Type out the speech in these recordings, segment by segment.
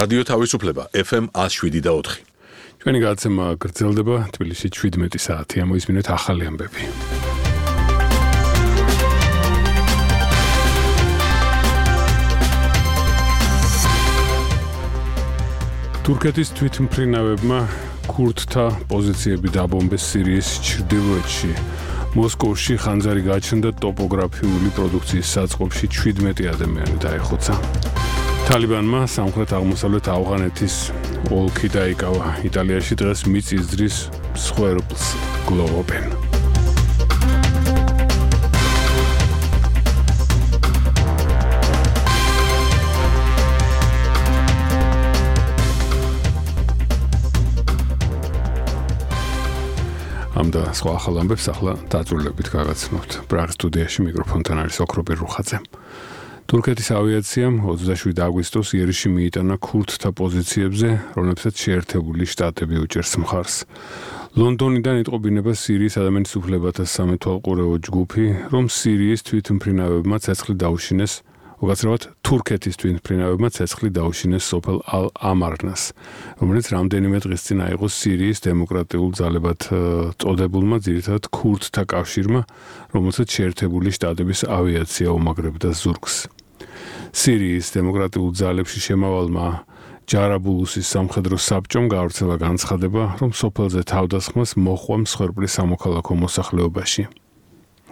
რადიო თავისუფლება FM 107.4. ჩვენი გადაცემა გრძელდება თბილისში 17 საათი. მოისმინეთ ახალი ამბები. თურქეთის თვითმფრინავებმა ქურდთა პოზიციები დაბომბეს სირიის ჩრდილოეთში. მოსკოვში ხანძარი გაჩნდა ტოპოგრაფიული პროდუქციის საწყობში 17 ადამიანი დაეხოცა. თალიბანმა სამხრეთ-აღმოსავლეთ ავღანეთის ოლქი დაიკავა. იტალიაში დღეს მიწის ძრის მსხვერპლს გლოვობენ. ამდა სხვა ახალ ამბებს ახლა დაწვრილებით გაგაცნობთ. პრაღის სტუდიაში მიკროფონთან არის ოქრობერ რუხაძე. თურქეთის ავიაციამ 27 აგვისტოს იერიში მიიტანა ქურდთა პოზიციებზე, რომლებსაც შეერთებული შტატები უჭერს მხარს. ლონდონიდან იტყობინება სირიის ადამიანის უფლებათა სამეთვალყურეო ჯგუფი, რომ სირიის თვითმფრინავებმა ცეცხლი დაუშინეს, უკაცრავად თურქეთის თვითმფრინავებმა ცეცხლი დაუშინეს სოფელ ალ-ამარნას, რომელიც რამდენიმე დღის წინ აიღო სირიის დემოკრატიულ ძალებად წოდებულმა ძირითადად ქურდთა კავშირმა, რომელსაც შეერთებული შტატების ავიაცია უმაგრებდა ზურგს. სირიის დემოკრატიულ ძალებში შემავალმა ჯარაბულუსის სამხედრო საბჭომ გაავრცელა განცხადება, რომ სოფელზე თავდასხმას მოჰყვა მსხვერპლი სამოქალაქო მოსახლეობაში.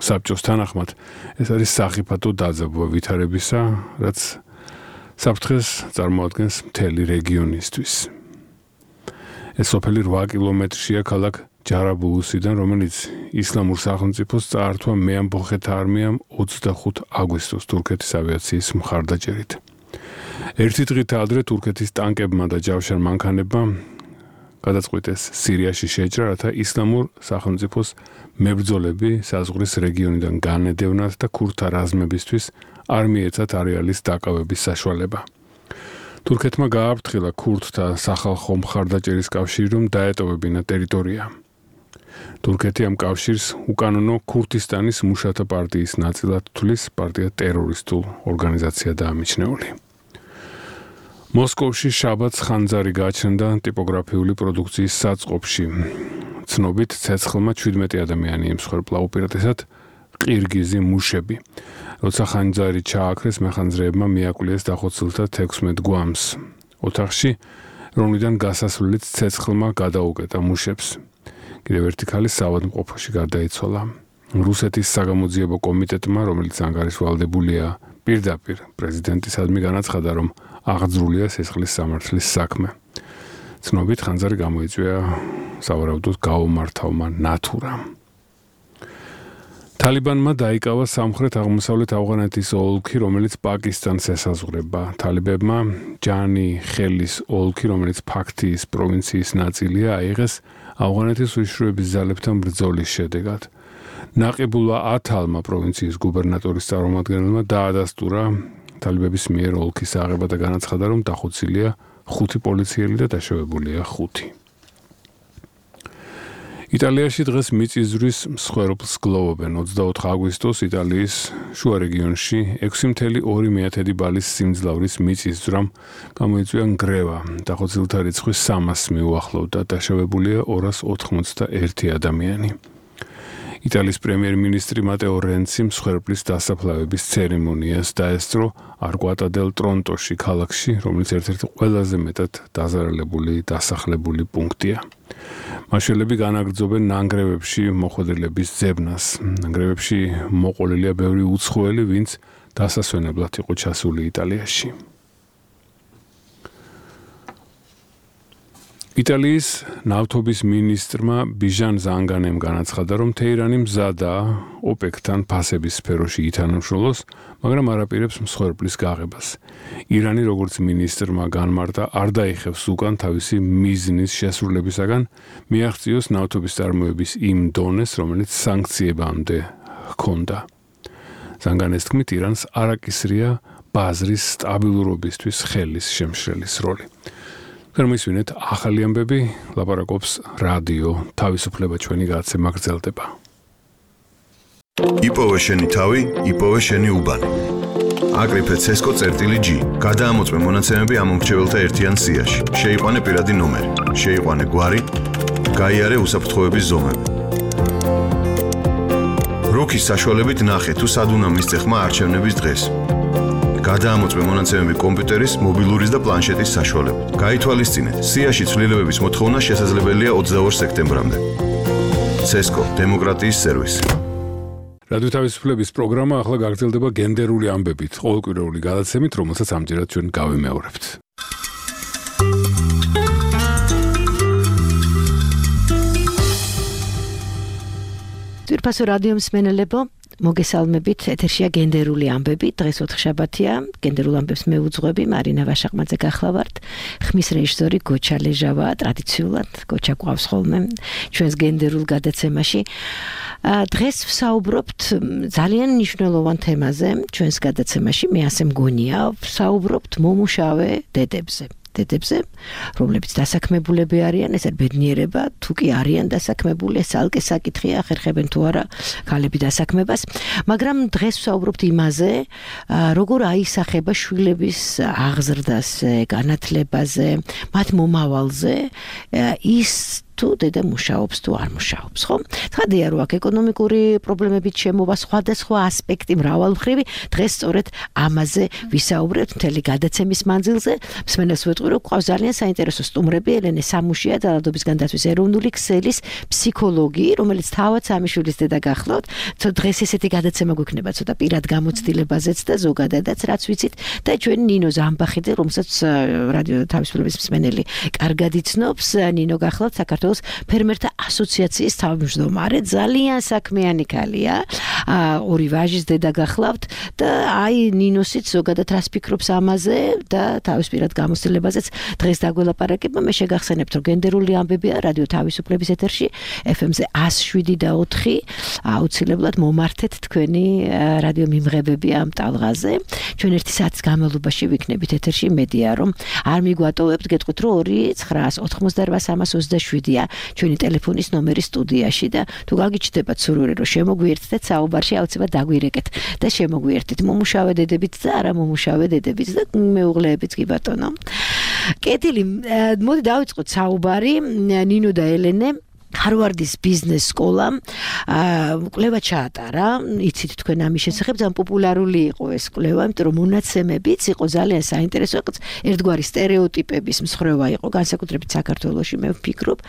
საბჭოს თანახმად ეს არის სახიფათო დაძაბვა ვითარებისა, რაც საფრთხეს წარმოადგენს მთელი რეგიონისთვის. ეს სოფელი 8 კილომეტრშია ქალაქ ჯარაბულუსიდან, რომელიც ისლამურ სახელმწიფოს წაართვა მეამბოხეთა არმიამ 25 აგვისტოს თურქეთის ავიაციის მხარდაჭერით. ერთი დღით ადრე თურქეთის ტანკებმა და ჯავშარ მანქანებმა გადაწყვიტეს სირიაში შეჭრა, რათა ისლამურ სახელმწიფოს მებრძოლები საზღვრის რეგიონიდან განედევნათ და ქურდთა რაზმებისთვის არ მიეცათ არეალის დაკავების საშუალება. თურქეთმა გააფრთხილა ქურდთა სახალხო მხარდაჭერის კავშირი, რომ დაეტოვებინა ტერიტორია. თურქეთი ამ კავშირს უკანონო ქურთისტანის მუშათა პარტიის ნაწილად თვლის, პარტია ტერორისტულ ორგანიზაციაა დაამიჩნეული. მოსკოვში შაბათს ხანძარი გაჩნდა ტიპოგრაფიული პროდუქციის საწყობში. ცნობით ცეცხლმა 17 ადამიანი ემსხვერპლა, უპირატესად ყირგიზი მუშები. როცა ხანძარი ჩააქრეს, მეხანძრეებმა მიაკვლიეს დახოცილთა 16 გვამს. ოთახში, რომლიდან გასასვლელით ცეცხლმა გადაუკეტა მუშებს. კიდევ ერთი ქალი საავადმყოფოში გარდაიცვალა. რუსეთის საგამოძიებო კომიტეტმა, რომელიც ანგარიშვალდებულია პირდაპირ პრეზიდენტისადმი განაცხადა, რომ აღძრულია სისხლის სამართლის საქმე. ცნობით ხანძარი გამოიწვია სავარაუდოდ გაუმართავმა ნათურამ. თალიბანმა დაიკავა სამხრეთ-აღმოსავლეთ ავღანეთის ოლქი, რომელიც პაკისტანს ესაზღვრება. თალიბებმა ჯანი ხელის ოლქი, რომელიც ფაქტიის პროვინციის ნაწილია, აიღეს ავღანეთის უშიშროების ძალებთან ბრძოლის შედეგად. ნაყიბულა ათალმა პროვინციის გუბერნატორის წარმომადგენელმა დაადასტურა თალიბების მიერ ოლქის აღება და განაცხადა, რომ დახოცილია 5 პოლიციელი და დაშავებულია 5. იტალიაში დღეს მიწისძვრის მსხვერპლს გლოვობენ. 24 აგვისტოს იტალიის შუა რეგიონში 6.2 ბალის სიმძლავრის მიწისძვრამ გამოიწვია ნგრევა. დახოცილთა რიცხვი 300-ს მიუახლოვდა, დაშავებულია 281 ადამიანი. იტალიის პრემიერ-მინისტრი მატეო რენცი მსხვერპლის დასაფლავების ცერემონიას დაესწრო არკვატა დელ ტრონტოში, ქალაქში, რომელიც ერთ-ერთი ყველაზე მეტად დაზარალებული დასახლებული პუნქტია. მაშველები განაგრძობენ ნანგრევებში მოხვედრილების ძებნას. ნანგრევებში მოყოლილია ბევრი უცხოელი, ვინც დასასვენებლად იყო ჩასული იტალიაში. იტალიის ნავთობის მინისტრმა ბიჟან ზანგანემ განაცხადა, რომ თეირანი მზადაა ოპეკთან ფასების სფეროში ითანამშრომლოს, მაგრამ არ აპირებს მსხვერპლის გაღებას. ირანი, როგორც მინისტრმა განმარტა, არ დაიხევს უკან თავისი მიზნის შესრულებისაგან, მიაღწიოს ნავთობის წარმოების იმ დონეს, რომელიც სანქციებამდე ჰქონდა. ზანგანეს თქმით, ირანს არ აკისრია ბაზრის სტაბილურობისთვის ხელის შემშრელის როლი. გერმისვინეთ ახალი ამბები, ლაპარაკობს რადიო თავისუფლება, ჩვენი გადაცემა გრძელდება. იპოვე შენი თავი, იპოვე შენი უბანი. აკრიფე CESCO.G. გადაამოწმე მონაცემები ამომრჩეველთა ერთიან სიაში. შეიყვანე პირადი ნომერი, შეიყვანე გვარი, გაიარე უსაფრთხოების ზომები. როქის საშუალებით ნახე თუ სად უნდა მისცე ხმა არჩევნების დღეს. გადაამოწმე მონაცემები კომპიუტერის, მობილურის და პლანშეტის საშუალებით. გაითვალისწინეთ, სიაში ცვლილებების მოთხოვნა შესაძლებელია 22 სექტემბრამდე. CESCO დემოკრატიის სერვისი. რადიო თავისუფლების პროგრამა ახლა გაგრძელდება გენდერული ამბებით, ყოველკვირეული გადაცემით, რომელსაც ამჯერად ჩვენ გავიმეორებთ. თვირფასო რადიო მსმენელებო, მოგესალმებით, ეთერშია გენდერული ამბები, დღეს ოთხშაბათია, გენდერულ ამბებს მე უძღვები, მარინა ვაშაყმაძე გახლავართ, ხმის რეჟისორი გოჩა ლეჟავა, ტრადიციულად გოჩა გვყავს ხოლმე ჩვენს გენდერულ გადაცემაში. დღეს ვსაუბრობთ ძალიან მნიშვნელოვან თემაზე, ჩვენს გადაცემაში, მე ასე მგონია, ვსაუბრობთ მომუშავე დედებზე. რომლებიც დასაქმებულები არიან, ეს ბედნიერება, თუ კი არიან დასაქმებული, ეს ალკე საკითხია, ხერხებენ თუ არა ქალები დასაქმებას, მაგრამ დღეს ვსაუბრობთ იმაზე, როგორ აისახება შვილების აღზრდაზე, განათლებაზე, მათ მომავალზე, ის თუ დედა მუშაობს თუ არ მუშაობს, ხო? ცხადია, რომ აქ ეკონომიკური პრობლემებით შემოვა სხვადასხვა ასპექტი მრავალმხრივი, დღეს სწორედ ამაზე ვისაუბრებთ მთელი გადაცემის მანძილზე. მსმენელს ვეტყვი, რომ გვყავს ძალიან საინტერესო სტუმრები, ელენე სამუშია, ძალადობის განდაცვის ეროვნული ქსელის ფსიქოლოგი, რომელიც თავად სამი შვილის დედა გახლავთ. დღეს ესეთი გადაცემა გვექნება ცოტა პირად გამოცდილებაზეც და ზოგადადაც რაც ვიცით და ჩვენ ნინო ზამბახიძე, რომელსაც რადიო თავისუფლების მსმენელი კარგად იცნობს, ნინო გახლავთ საქართველოს ფერმერთა ასოციაციის თავმჯდომარე, ძალიან საქმიანი ქალია, ორი ვაჟის დედა გახლავთ და აი ნინოსიც ზოგადად რას ფიქრობს ამაზე და თავის პირად გამოცდილებაზეც დღეს დაგველაპარაკება. მე შეგახსენებთ, რომ გენდერული ამბებია რადიო თავისუფლების ეთერში FM-ზე 107.4, აუცილებლად მომართეთ თქვენი რადიო მიმღებები ამ ტალღაზე. ჩვენ ერთი საათის განმავლობაში ვიქნებით ეთერში, მედია რომ არ მიგვატოვებთ, გეტყვით რომ 2988327 ჩვენი ტელეფონის ნომერი სტუდიაში და თუ გაგიჩნდებათ სურვილი რომ შემოგვიერთდეთ საუბარში, აუცილებლად დაგვირეკეთ და შემოგვიერთდით მომუშავე დედებით და არა მომუშავე დედებით და მეუღლეებით კი ბატონო. კეთილი, მოდი დავიწყოთ საუბარი. ნინო და ელენე ჰარვარდის ბიზნეს სკოლამ კვლევა ჩაატარა, იცით თქვენ ამის შესახებ, ძალიან პოპულარული იყო ეს კვლევა, იმიტომ რომ მონაცემებიც იყო ძალიან საინტერესო, ერთგვარი სტერეოტიპების მსხრევა იყო, განსაკუთრებით საქართველოში, მე ვფიქრობ,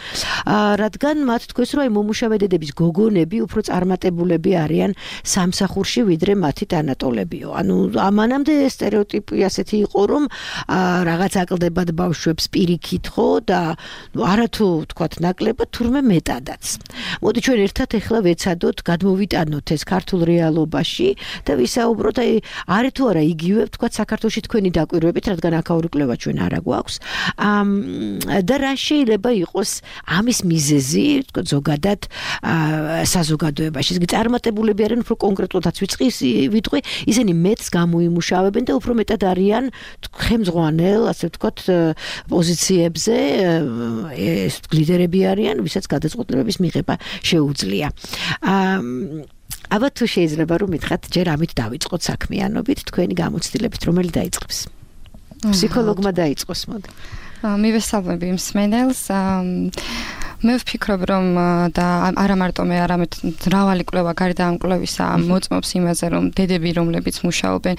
რადგან მათ თქვეს, რომ მომუშავე დედების გოგონები უფრო წარმატებულები არიან სამსახურში, ვიდრე მათი თანატოლებიო. ანუ ამანამდე სტერეოტიპი ასეთი იყო, რომ რაღაც აკლდებათ ბავშვებს პირიქით, ხო, და არათუ თქვათ ნაკლებად, თურმე მეტადაც. მოდი ჩვენ ერთად ახლა ვეცადოთ, გადმოვიტანოთ ეს ქართულ რეალობაში და ვისაუბროთ, აი, არის თუ არა იგივე, თქვათ საქართველოში თქვენი დაკვირვებით, რადგან აქაური კვლევა ჩვენ არა გვაქვს. და რა შეიძლება იყოს ამის მიზეზი, თქვათ ზოგადად საზოგადოებაში. წარმატებულები არიან, უფრო კონკრეტულადაც ვიტყვი, ისინი მეტს გამოიმუშავებენ და უფრო მეტად არიან ხელმძღვანელ, ასე ვთქვათ, პოზიციებზე, ეს ლიდერები არიან, ვისაც გადაწყვეტილებების მიღება შეუძლია. ალბათ თუ შეიძლება რომ მითხრათ, ჯერ ამით დავიწყოთ საქმიანობით, თქვენი გამოცდილებით, რომელი დაიწყებს? ფსიქოლოგმა დაიწყოს, მოდი. მივესალმები მსმენელს. მე ვფიქრობ, რომ და არა მარტო მე, არამედ მრავალი კვლევა გარდა ამ კვლევისა მოწმობს იმაზე, რომ დედები, რომლებიც მუშაობენ,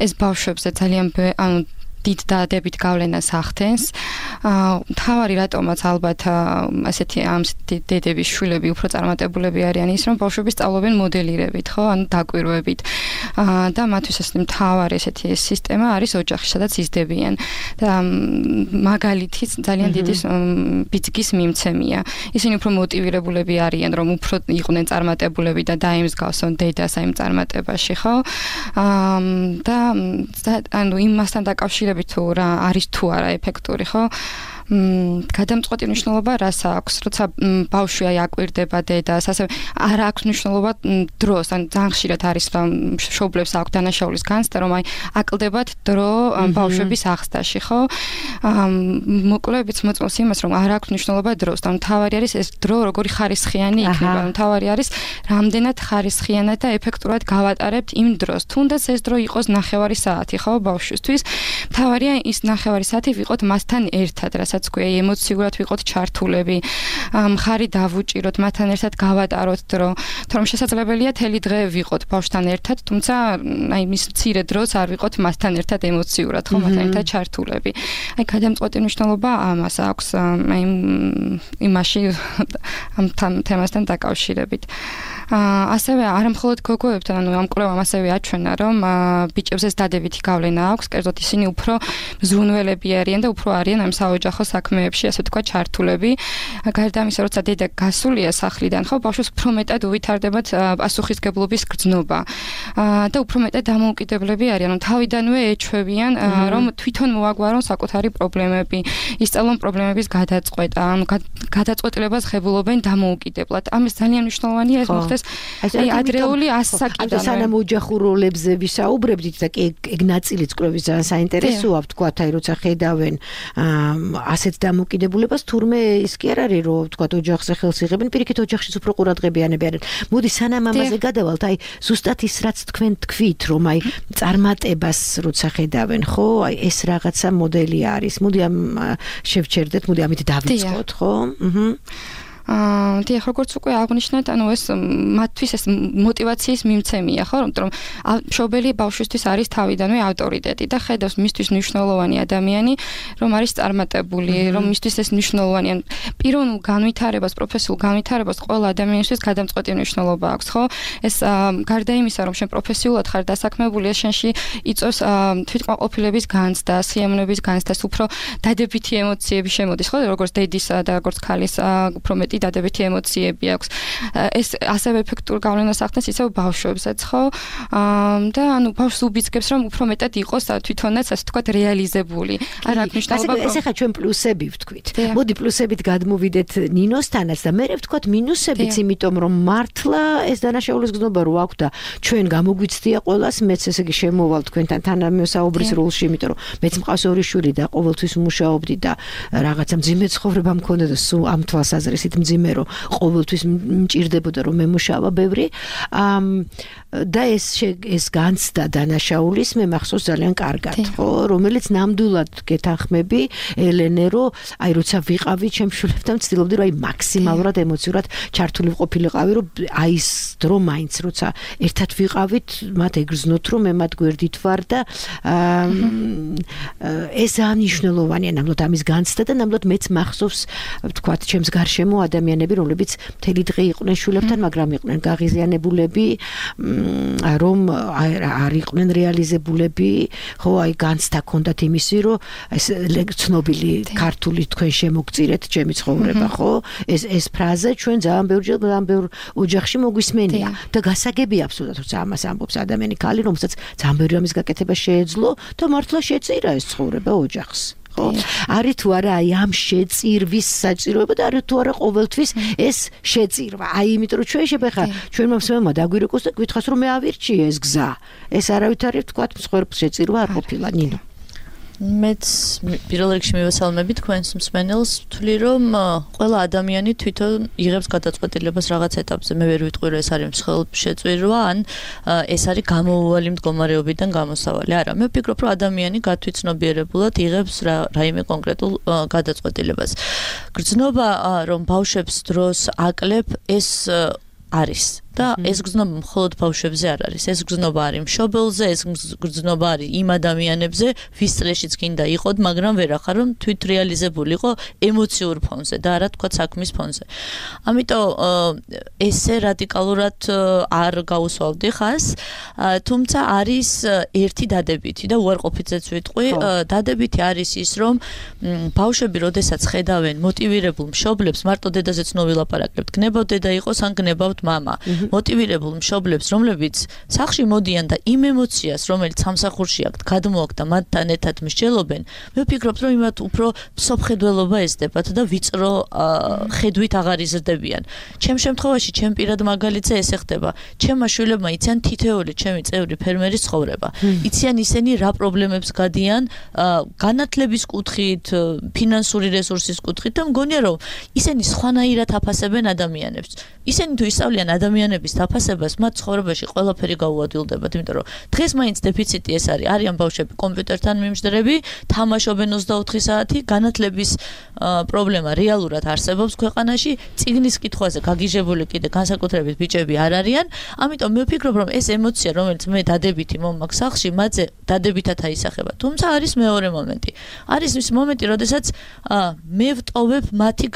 ეს ბავშვებზე ძალიან დიდ დადებით გავლენას ახდენს. თავარი რატომაც ალბათ ასეთი ამ დედების შვილები უფრო წარმატებულები არიან ის, რომ ბავშვები სწავლობენ მოდელირებით, ხო, ანუ დაკვირვებით. და მათთვის ეს თავარი ესეთი სისტემა არის ოჯახი, სადაც იზრდებიან. და მაგალითი ძალიან დიდი ბიძგის მიმცემია. ისინი უფრო მოტივირებულები არიან, რომ უფრო იყვნენ წარმატებულები და დაემსგავსონ დედას ამ წარმატებაში, ხო? და ანუ იმასთან დაკავშირებით თუ რა არის თუ არა ეფექტური, ხო? გადამწყვეტი მნიშვნელობა რას აქვს, როცა ბავშვი აკვირდება დედას, ასე არ აქვს მნიშვნელობა დროს, ან ძალიან ხშირად არის მშობლებს აქვს დანაშაულის განცდა, რომ აკლდებათ დრო ბავშვების აღზრდაში, ხო? მოკლედებით მოწმობს იმას, რომ არ აქვს მნიშვნელობა დროს, და მთავარი არის ეს დრო როგორი ხარისხიანი იქნება, მთავარი არის რამდენად ხარისხიანად და ეფექტურად გავატარებთ იმ დროს. თუნდაც ეს დრო იყოს 9 საათი, ხო, ბავშვისთვის. მთავარია ის 9 საათი ვიყოთ მასთან ერთად, რასაც გვია, ემოციურად ვიყოთ ჩართულები, მხარი დავუჭიროთ, მათთან ერთად გავატაროთ დრო. თორემ შესაძლებელია თელი დღე ვიყოთ ბავშვთან ერთად, თუმცა მის მცირე დროს არ ვიყოთ მასთან ერთად ემოციურად, ხო, მათთან ერთად ჩართულები. გადამწყვეტი მნიშვნელობა ამას აქვს, იმაში ამ თემასთან დაკავშირებით. ასევე არამხოლოდ გოგოებთან, ამ კვლევამ ასევე აჩვენა, რომ ბიჭებს ეს დადებითი გავლენა აქვს, კერძოდ ისინი უფრო მზრუნველები არიან და უფრო არიან ამ საოჯახო საქმეებში, ასე ვთქვათ, ჩართულები. გარდა ამისა, როცა დედა გასულია სახლიდან, ხო, ბავშვს უფრო მეტად უვითარდებათ პასუხისგებლობის გრძნობა და უფრო მეტად დამოუკიდებლები არიან, რომ თავიდანვე ეჩვევიან, რომ თვითონ მოაგვარონ საკუთარი პრობლემები, ისწავლონ პრობლემების გადაწყვეტა, გადაწყვეტილებას ღებულობენ დამოუკიდებლად. ამის ძალიან მნიშვნელოვანია ეს მოხდეს ადრეული ასაკიდან. სანამ ოჯახურ როლებზე ვისაუბრებდით და ეგ ნაწილიც კვლევის ძალიან საინტერესოა, ვთქვათ, როცა ხედავენ ასეთ დამოუკიდებლობას, თურმე ის კი არ არის, რომ ვთქვათ, ოჯახზე ხელს იღებენ, პირიქით ოჯახშიც უფრო ყურადღებიანები არიან. მოდი სანამ ამაზე გადავალთ, ზუსტად ის რაც თქვენ თქვით, რომ წარმატებას როცა ხედავენ, ხო, ეს რაღაცა მოდელი არის. მოდი ამ შევჩერდეთ, მოდი ამით დავიწყოთ, ხო? დიახ, როგორც უკვე აღნიშნეთ, ანუ ეს მათთვის ეს мотиваციის მიმცემია, ხო, რომ მშობელი ბავშვისთვის არის თავიდანვე ავტორიტეტი და ხედავს მისთვის მნიშვნელოვანი ადამიანი, რომ არის წარმატებული, რომ მისთვის ეს მნიშვნელოვანია. პიროვნულ განვითარებას, პროფესიულ განვითარებას ყველა ადამიანისთვის გადამწყვეტი მნიშვნელობა აქვს, ხო? ეს გარდა იმისა, რომ შენ პროფესიულად ხარ დასაქმებული, ეს შენში იწვევს თვითკმაყოფილების განცდას, სიამოვნების განცდას, უფრო დადებითი ემოციები შემოდის, ხო, როგორც დედისა და როგორც ქალის უფრო მეტი დადებითი ემოციები აქვს. ეს ასევე ეფექტურ გავლენას ახდენს ისევ ბავშვებსაც, ხო? და ანუ ბავშვს უბიძგებს, რომ უფრო მეტად იყოს თვითონაც, ასე ვთქვათ, რეალიზებული. არ აქვს მნიშვნელობა. ეს ახლა ჩვენ პლუსები ვთქვით. მოდი პლუსებით გადმოვიდეთ ნინოსთანაც და მე ვთქვათ მინუსებიც, იმიტომ რომ მართლა ეს დანაშაულის გზნობა რო აქვს და ჩვენ გამოგვიცდია ყველას, მეც ესე იგი შემოვალ თქვენთან თანამოსაუბრის როლში, იმიტომ რომ მეც მყავს 2 შვილი და ყოველთვის მუშაობდი და რაღაცა მძიმე ცხოვრება მქონდა და სულ ამ თვალსაზრისით მძიმე რომ ყოველთვის მჭირდებოდა რომ მემუშავა ბევრი და ეს განცდა დანაშაულის მე მახსოვს ძალიან კარგად, ხო, რომელიც ნამდვილად გეთანხმები ელენე, რომ აი როცა ვიყავი ჩემშულებთან ვცდილობდი რომ აი მაქსიმალურად ემოციურად ჩართული ყოფილიყავი, რომ აი ის დრო მაინც როცა ერთად ვიყავით, მათ ეგრძნოთ რომ მე მათ გვერდით ვარ და ეს ძალიან მნიშვნელოვანია ნამდვილად ამის განცდა და ნამდვილად მეც მახსოვს ვთქვათ ჩემს გარშემო ადამიანები, რომლებიც მთელი დღე იყვნენ შულებთან, მაგრამ იყვნენ გაღიზიანებულები, რომ არ იყვნენ რეალიზებულები, ხო, აი განცდა ჰქონდათ იმისი, რომ ეს ცნობილი ქართული თქვენ შემოგწირეთ ჩემი ცხოვრება, ხო? ეს ფრაზა ჩვენ ძალიან ბევრ ოჯახში მოგვისმენია და გასაგებია აბსოლუტურად, როცა ამას ამბობს ადამიანი ქალი, რომელსაც ძალიან ბევრი ამის გაკეთება შეეძლო და მართლა შეწირა ეს ცხოვრება ოჯახს. არის თუ არა აი ამ შეწირვის საჭიროება და არის თუ არა ყოველთვის ეს შეწირვა. აი იმიტომ რომ ჩვენ შეხა ჩვენ მომსმენმა დაგვირეკოს და გითხას რომ მე ავირჩიე ეს გზა. ეს არავითარი თქვათ მსხვერპლ შეწირვა არ ყოფილა, ნინო. მეც პირველ რიგში მივესალმები თქვენს მსმენელს, ვთვლი რომ ყველა ადამიანი თვითონ იღებს გადაწყვეტილებას რაღაც ეტაპზე. მე ვერ ვიტყვი რომ ეს არის მსხვერპლ შეწირვა, ან ეს არის გამოუვალი მდგომარეობიდან გამოსავალი. არა, მე ვფიქრობ რომ ადამიანი გათვითცნობიერებულად იღებს რაიმე კონკრეტულ გადაწყვეტილებას. გრძნობა რომ ბავშვებს დროს აკლებ, ეს არის და ეს გზნობა მხოლოდ ბავშვებზე არ არის. ეს გზნობა არის მშობელზე, ეს გზნობა არის იმ ადამიანებზე, ვის წლეშიც გინდა იყოთ, მაგრამ ვერ ახარ რომ თვით რეალიზებულიყო ემოციურ ფონზე და არა თქვა საქმის ფონზე. ამიტომ ესე რადიკალურად არ გაუსვავდი ხას, თუმცა არის ერთი დადებითი და უარყოფითზეც ვიტყვი, დადებითი არის ის, რომ ბავშვები როდესაც ხედავენ მოტივირებულ მშობლებს, მარტო დედაზე ცნობილ აპარაკებთ, გნებავთ დედა იყოს ან გნებავთ მამა. მოტივირებულ მშობლებს, რომლებიც სახლში მოდიან და იმ ემოციას, რომელიც სამსახურში აქვთ, გადმოაქვთ და მათთან ერთად მსჯელობენ, მე ვფიქრობ, რომ იმათ უფრო სოფხედველობა ესდებათ და ვიწრო ხედვით აღარ იზრდებიან. ჩემ შემთხვევაში, ჩემ პირად მაგალითზე ესე ხდება. ჩემმა შვილებმა იციან თითოეული ჩემი წევრი ფერმერის ცხოვრება. იციან ისინი რა პრობლემებს გადიან განათლების კუთხით, ფინანსური რესურსის კუთხით და მგონია რომ ისინი სხვანაირად აფასებენ ადამიანებს. ისინი თუ ისწავლიან ადამიანების დაფასებას, მათ ცხოვრებაში ყველაფერი გაუადვილდებათ, იმიტომ რომ დღეს მაინც დეფიციტი ეს არის. არიან ბავშვები კომპიუტერთან მიმჯდრები, თამაშობენ 24 საათი, განათლების პრობლემა რეალურად არსებობს ქვეყანაში, წიგნის კითხვაზე გაგიჟებული კიდე განსაკუთრებით ბიჭები არ არიან. ამიტომ მე ვფიქრობ, რომ ეს ემოცია, რომელიც მე დადებითი მომაქვს სახლში, მათზე დადებითად აისახება. თუმცა არის მეორე მომენტი. არის ის მომენტი, როდესაც მე ვტოვებ მათი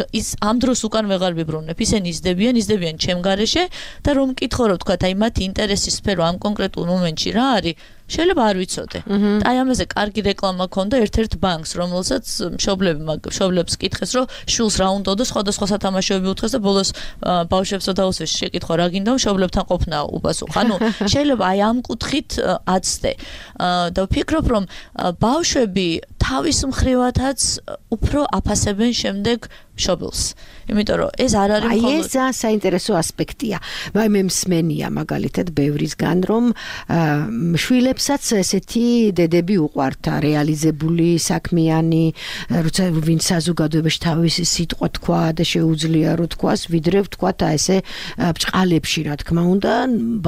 ამ დროს უკან ვეღარ ვიბრუნებ. ისინი იზრდებიან ჩემ გარეშე და რომ მკითხო რომ თქვა, აი მათი ინტერესის სფერო ამ კონკრეტულ მომენტში რა არის, შეიძლება არ ვიცოდე. და აი ამაზე კარგი რეკლამა ქონდა ერთ-ერთ ბანკს, რომელსაც მშობლებს კითხეს, რომ შვილს რა უნდა და სხვადასხვა სათამაშოები უთხრეს და ბოლოს ბავშვებსო დაუსვეს შეკითხვა რა გინდა, მშობლებთან ყოფნა უპასუხა. ანუ შეიძლება აი ამ კუთხით აცდე. და ვფიქრობ, რომ ბავშვები თავის მხრივათაც უფრო აფასებენ შემდეგ მშობელს. იმიტომ რომ ეს არ არის მხოლოდ ეს საინტერესო ასპექტია. მე მსმენია მაგალითად ბევრისგან, რომ შვილებსაც ესეთი დედები უყვართ, რეალიზებული, საქმიანი, როცა ვინც საზოგადოებაში თავისი სიტყვა თქვა და შეუძლია რომ თქვას, ვიდრე ვთქვა ესე ბჭყალებში, რა თქმა უნდა,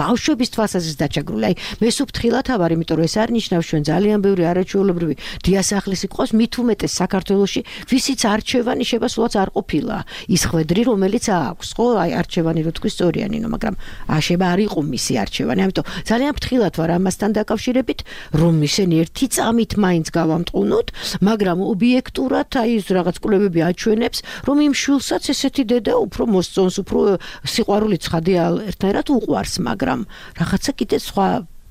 ბავშვების თვალსაზრისით დაჩაგრული. აი მე სუფრთხილად ავარ, იმიტომ რომ ეს არ ნიშნავს ჩვენ ძალიან ბევრი არაჩვეულებრივი დიასახლისი ყავს, მით უმეტეს საქართველოში, ვისიც არჩევანი შეიძლება სულაც არ ყოფილა. ის ხვედრი, რომელიც აქვს, ხო, აი არჩევანი რო თქვი სწორიანინო, მაგრამ შეიძლება არ იყო მისი არჩევანი. ამიტომ ძალიან ფრთხილად ვარ ამასთან დაკავშირებით, რომ ისინი ერთი წამით მაინც გავამტყუნოთ, მაგრამ ობიექტურად აი ეს რაღაც კვლევები აჩვენებს, რომ იმ შვილსაც ესეთი დედა უფრო მოსწონს, უფრო სიყვარული ცხადი ერთნაირად უყვარს, მაგრამ რაღაცა კიდე სხვა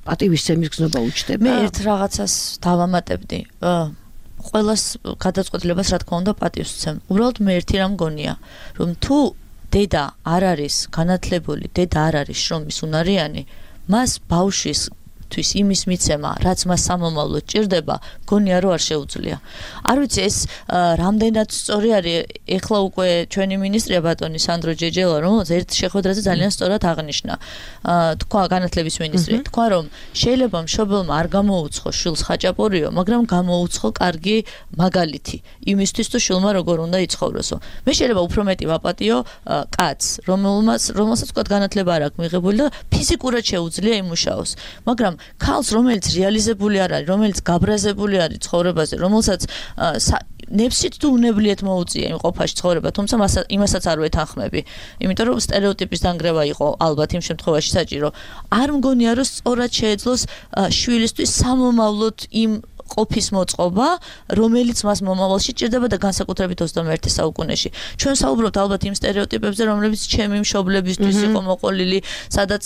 პატივისცემის გზნობა უჩნდება. მე ერთ რაღაცას დავამატებდი. ყველას გადაწყვეტილებას რა თქმა უნდა პატივს ვცემ. უბრალოდ მე ერთი რამ მგონია, რომ თუ დედა არ არის განათლებული, დედა არ არის შრომის უნარიანი, მას ბავშვის იმის მიცემა, რაც მას სამომავლოდ ჭირდება, გონია რომ არ შეუძლია. არ ვიცი ეს რამდენად სწორი არის, ეხლა უკვე ჩვენი მინისტრია ბატონი სანდრო ჯეჯელა, რომელიც ერთ შეხვედრაზე ძალიან სწორად აღნიშნა. თქვა განათლების მინისტრი, თქვა რომ შეიძლება მშობელმა არ გამოუცხო შვილს ხაჭაპურიო, მაგრამ გამოუცხო კარგი მაგალითი იმისთვის თუ შვილმა როგორ უნდა იცხოვროსო. მე შეიძლება უფრო მეტი ვაპატიო კაცს, რომელსაც თქვა განათლება არ აქვს მიღებული და ფიზიკურად შეუძლია იმუშაოს. მაგრამ ქალს, რომელიც რეალიზებული არ არის, რომელიც გაბრაზებული არის ცხოვრებაზე, რომელსაც ნებსით თუ უნებლიეთ მოუწია იმ ყოფაში ცხოვრება, თუმცა იმასაც არ ვეთანხმები. იმიტომ რომ სტერეოტიპის დანგრევა იყო ალბათ იმ შემთხვევაში საჭირო. არ მგონია რომ სწორად შეეძლოს შვილისთვის სამომავლოდ იმ ყოფის მოწყობა, რომელიც მას მომავალში ჭირდება და განსაკუთრებით 21 საუკუნეში. ჩვენ საუბრობთ ალბათ იმ სტერეოტიპებზე, რომლებიც ჩემი მშობლებისთვის იყო მოყოლილი, სადაც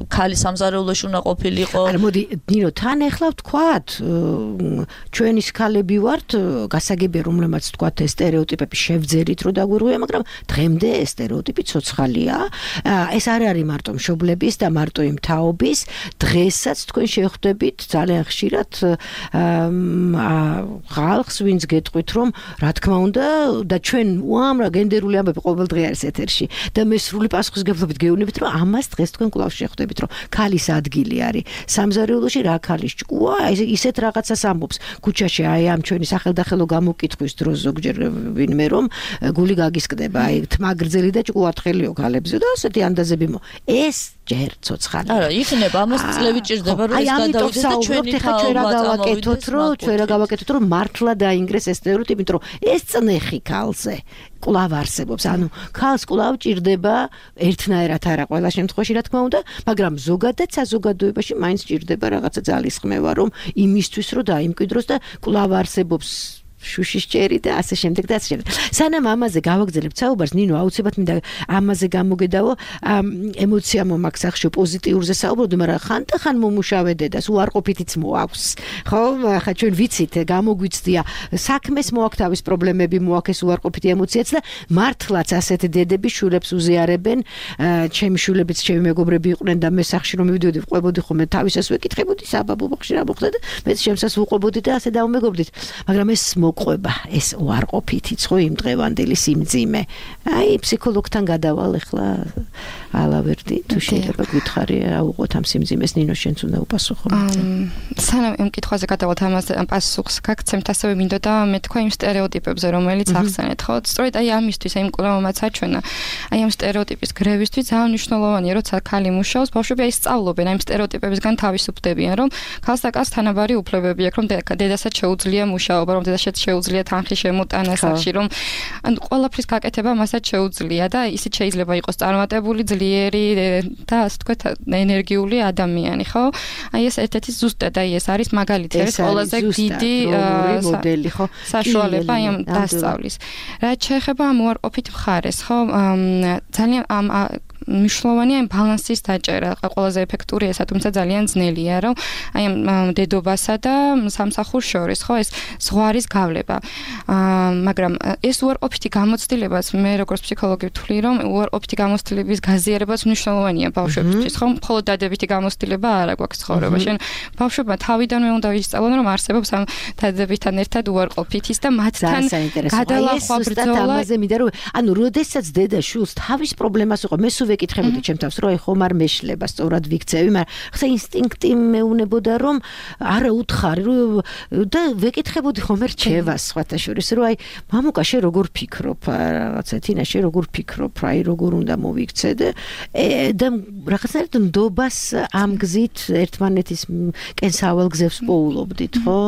ქალი სამზარეულოში უნდა ყოფილიყო. არა, მოდი, ნინო, თან ეხლა ვთქვათ, ჩვენის ქალები ვართ, გასაგებია რომლებმაც ვთქვათ ეს სტერეოტიპები შევძერით რომ დაგვირღვია, მაგრამ დღემდე ეს სტერეოტიპი ცოცხალია. ეს არ არის მარტო მშობლების და მარტო იმ თაობის, დღესაც თქვენ შეხვდებით ძალიან ხშირად ხალხს, ვინც გეტყვით, რომ რა თქმა უნდა და ჩვენ უამრავ გენდერული ამბები ყოველდღე არის ეთერში და მე სრული პასუხისგებლობით გეუბნებით, რომ ამას დღეს თქვენ კვლავ შეხვდებით, რომ ქალის ადგილი არის სამზარეულოში, რა ქალის ჭკუა, ისეთ რაღაცას ამბობს ქუჩაში, აი ამ ჩვენი სახელდახელო გამოკითხვის დროს ზოგჯერ ვინმე რომ გული გაგისკდება, აი თმა გრძელი და ჭკუა თხელიო ქალებზე და ასეთი ანდაზები ეს ჯერ ცოცხალია. არა, იქნება ამას წლები ჭირდება რომ ეს გადავიდეს და ჩვენი ჩვენ რა გავაკეთოთ, რომ მართლა დაინგრეს ეს სტერეოტიპი, იმიტომ რომ ეს წნეხი ქალზე კვლავ არსებობს. ანუ ქალს კვლავ ჭირდება ერთნაირად არა ყველა შემთხვევაში, რა თქმა უნდა, მაგრამ ზოგადად საზოგადოებაში მაინც ჭირდება რაღაცა ძალისხმევა, რომ იმისთვის რომ დაიმკვიდროს და კვლავ არსებობს შუშის ჭერი და ასე შემდეგ და ასე შემდეგ. სანამ ამაზე გავაგზავნებთ საუბარს, ნინო, აუცილებლად მინდა ამაზე გამოგედავო, ემოცია მომაქვს ახშო პოზიტიურზე საუბრობდი, მაგრამ ხან მომუშავე დედას უარყოფითიც მოაქვს. ხო, ახლა ჩვენ ვიცით, გამოგვიცდია საქმეს მოაქვს თავის პრობლემები, მოაქვს უარყოფითი ემოციაც და მართლაც ასეთი დედები შულებს უზიარებენ. ჩემი შულებიც ჩემი მეგობრები იყვნენ და მე სახში რომ მივიდოდი ვყვებოდი ხოლმე თავისას ვეკითხებოდი საბაბო ბოხში რა მოხდა და მეც შემსას ვუყვებოდი და ასე დავმეგობრდით. მაგრამ ეს მოყვება, ეს უარყოფითიც ხო იმ დღევანდელი სიმძიმე. აი ფსიქოლოგთან გადავალ ახლა ალავერდი თუ შეიძლება გითხარი რა უყოთ ამ სიმძიმეს ნინო შენც უნდა უპასუხო. სანამ იმ კითხვაზე გადავალთ ამაზე პასუხს გაგცემთ ასევე მინდოდა მეთქვა იმ სტერეოტიპებზე რომელიც ახსენეთ ხო სწორედ აი ამისთვის აი იმ კვლევამაც აჩვენა აი ამ სტერეოტიპის გრევისთვის ძალიან მნიშვნელოვანია როცა ქალი მუშაობს ბავშვები აი სწავლობენ აი იმ სტერეოტიპებისგან თავისუფდებიან რომ ქალს და კაცს თანაბარი უფლებები აქვს რომ დედასაც შეუძლია მუშაობა რომ დედასაც შეუძლია თანხი შემოტანა სახში რომ ან ყველაფრის გაკეთება მასაც შეუძლია და ისიც შეიძლება იყოს წარმატებული ძლიერი და ასე თქვა ენერგიული ადამიანი ხო აი ეს ერთ-ერთი ზუსტად აი ეს არის მაგალითი ეს ყველაზე დიდი მოდელი ხო საშუალება აი ამ დასწავლის რაც შეეხება ამ უარყოფით მხარეს ხო ძალიან ამ მნიშვნელოვანია იმ ბალანსის დაჭერა ყველაზე ეფექტური ესა თუმცა ძალიან ძნელია რომ აი ამ დედობასა და სამსახურს შორის ხო ეს ზღვარის გავლება მაგრამ ეს უარყოფითი გამოცდილებაც მე როგორც ფსიქოლოგი ვთვლი რომ უარყოფითი გამოცდილების გაზიარებაც მნიშვნელოვანია ბავშვებისთვის ხო მხოლოდ დადებითი გამოცდილება არა გვაქვს ცხოვრებაში ბავშვებმა თავიდანვე უნდა ისწავლონ რომ არსებობს ამ დადებითთან ერთად უარყოფითის და მათთან გადალახვა ბრძოლა ამაზე მინდა რომ ანუ როდესაც დედა შულს თავის პრობლემას უყო მე სულ ვეკითხებოდი ჩემ თავს რომ აი ხომ არ მეშლება სწორად ვიქცევი მაგრამ ხა ინსტინქტი მეუნებოდა რომ არა უთხარი და ვეკითხებოდი ხომ რჩევას სხვათა შორის რომ აი მამუკა შე როგორ ფიქრობ რაღაცა თინა შე როგორ ფიქრობ აი როგორ უნდა მოვიქცე და რაღაცნაირად ნდობას ამ გზით ერთმანეთის კენსავალ გზებს პოულობდით ხო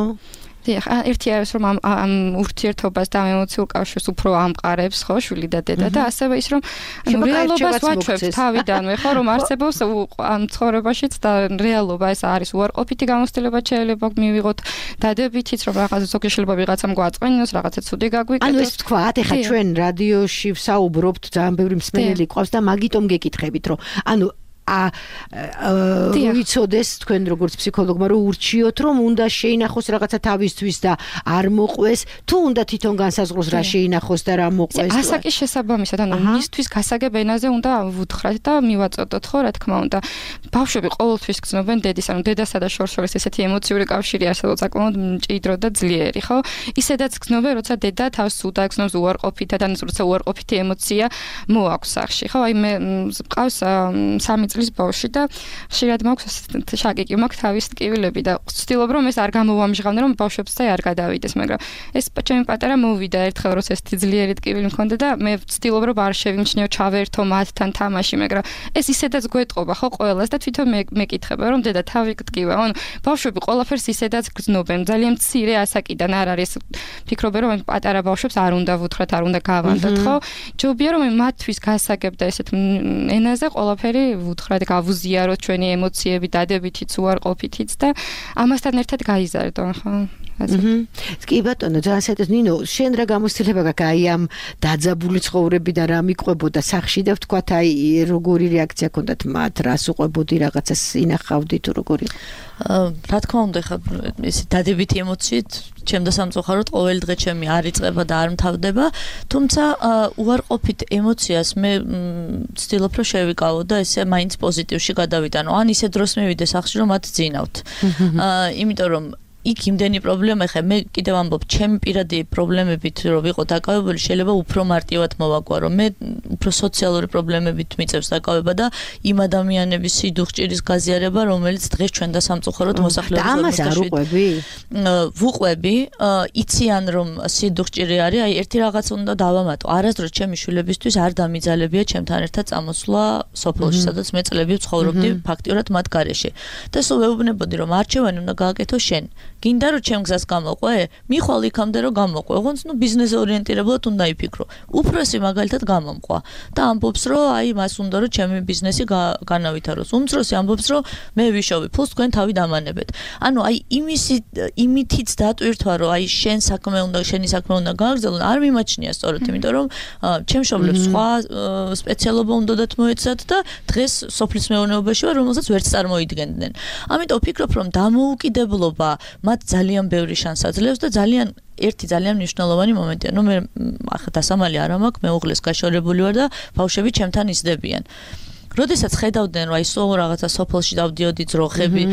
ერთი არის რომ ამ ურთიერთობას და ემოციურ კავშირს უფრო ამყარებს ხო შვილი და დედა და ასევე ის რომ რეალობას ვაჩვევს თავიდანვე ხო რომ არსებობს ამ ცხოვრებაშიც და რეალობა ეს არის უარყოფითი გამოცდილება შეიძლება მივიღოთ დადებითიც რომ რაღაც ზოგი შეიძლება ვიღაცამ გვაწყვენოს რაღაცა ცუდი გაგვიკეთოს ანუ ეს თქვათ ეხა ჩვენ რადიოში ვსაუბრობთ ძალიან ბევრი მსმენელი ყავს და მაგიტომ გეკითხებით რომ ანუ ვიცოდეს თქვენ როგორც ფსიქოლოგმა რომ ურჩიოთ რომ უნდა შეინახოს რაღაცა თავისთვის და არ მოყვეს თუ უნდა თვითონ განსაზღვროს რა შეინახოს და რა მოყვეს ასაკის შესაბამისად ანუ მისთვის გასაგებ ენაზე უნდა ვუთხრათ და მივაწოდოთ ხო რა თქმა უნდა ბავშვები ყოველთვის გრძნობენ დედის ანუ დედასა და შორს ესეთი ემოციური კავშირი არსებობს საკმაოდ მჭიდრო და ძლიერი ხო ისედაც გრძნობენ როცა დედა თავს სუდა გრძნობს უარყოფითად ან როცა უარყოფითი ემოცია მოაქვს სახში ხო აი მე მყავს 3 წლის ბავშვი და ხშირად მაქვს შაკიკი მაქვს თავის ტკივილები და ვცდილობ რომ ეს არ გამოვამჟღავნე რომ ბავშვებსაც არ გადავიდეს მაგრამ ეს ჩემი პატარა მოვიდა ერთხელ როცა ეს ძლიერი ტკივილი მქონდა და მე ვცდილობ რომ არ შევიმჩნიო ჩავერთო მათთან თამაში მაგრამ ეს ისედაც გვეტყობა ხო ყველას და თვითონ მეკითხება რომ დედა თავი გტკივა ანუ ბავშვები ყველაფერს ისედაც გრძნობენ ძალიან მცირე ასაკიდან არ არის ფიქრობენ რომ პატარა ბავშვებს არ უნდა ვუთხრათ არ უნდა გავანდოთ ხო ჯობია რომ მათთვის გასაგებ და ესეთ ენაზე ყველაფერი ვუთხრათ გავუზიაროთ ჩვენი ემოციები დადებითიც უარყოფითიც და ამასთან ერთად გაიზარდონ ხო კი ბატონო ძალიან საერთოდ ნინო შენ რა გამოცდილება გაქვს აი ამ დაძაბული ცხოვრებიდან რა მიყვებოდა სახში და ვთქვათ აი როგორი რეაქცია ჰქონდათ მათ რას უყვებოდი რაღაცას ინახავდი თუ როგორი რა თქმა უნდა ხა ეს დადებითი ემოციით ჩემდა სამწუხაროდ ყოველი დღე ჩემი არ იწყება და არ მთავრდება თუმცა უარყოფით ემოციას მე ვცდილობ რომ შევიკავო და ესე მაინც პოზიტივში გადავიტანო ან ისე დროს მივიდე სახში რომ მათ ძინავთ იმიტომ რომ იქ იმდენი პრობლემა ხე მე კიდევ ამბობ ჩემი პირადი პრობლემებით რომ ვიყო დაკავებული შეიძლება უფრო მარტივად მოვაკვარო რომ მე უფრო სოციალური პრობლემებით მიწევს დაკავება და იმ ადამიანების სიდუხჭირის გაზიარება რომელიც დღეს ჩვენ და სამწუხაროდ მოსახლეობის და ამას არ უყვები ვუყვები იციან რომ სიდუხჭირი არის აი ერთი რაღაც უნდა დავამატო არასდროს ჩემი შვილებისთვის არ დამიძალებია ჩემთან ერთად წამოსვლა სოფელში სადაც მე წლები ვცხოვრობდი ფაქტიურად მათ გარეშე და სულ ვეუბნებოდი რომ არჩევანი უნდა გააკეთო შენ გინდა რომ ჩემ გზას გამოყვე? მიხვალ იქამდე რომ გამოყვე. ოღონდ ბიზნეს ორიენტირებულად უნდა იფიქრო. უფროსი მაგალითად გამომყვა და ამბობს რომ აი მას უნდა რომ ჩემი ბიზნესი განავითაროს. უმცროსი ამბობს რომ მე ვიშოვი ფულს, თქვენ თავი დამანებეთ. ანუ აი იმითიც დატვირთვა რომ აი შენი საქმე უნდა გააგრძელონ, არ მიმაჩნია სწორად, იმიტომ რომ ჩემ მშობლებს სხვა სპეციალობა უნდათ მოეცათ და დღეს სოფლის მეურნეობაში ვარ, რომელსაც ვერც წარმოიდგენდნენ. ამიტომ ვფიქრობ, რომ დამოუკიდებლობა მათ ძალიან ბევრი შანსს აძლევს და ერთი ძალიან მნიშვნელოვანი მომენტია. მე ახლა დასამალი არ მაქვს, მეუღლეს გაშორებული ვარ და ბავშვები ჩემთან ისდებიან. როდესაც ხედავდნენ რომ აი რაღაცა სოფელში დავდიოდი ძროხები,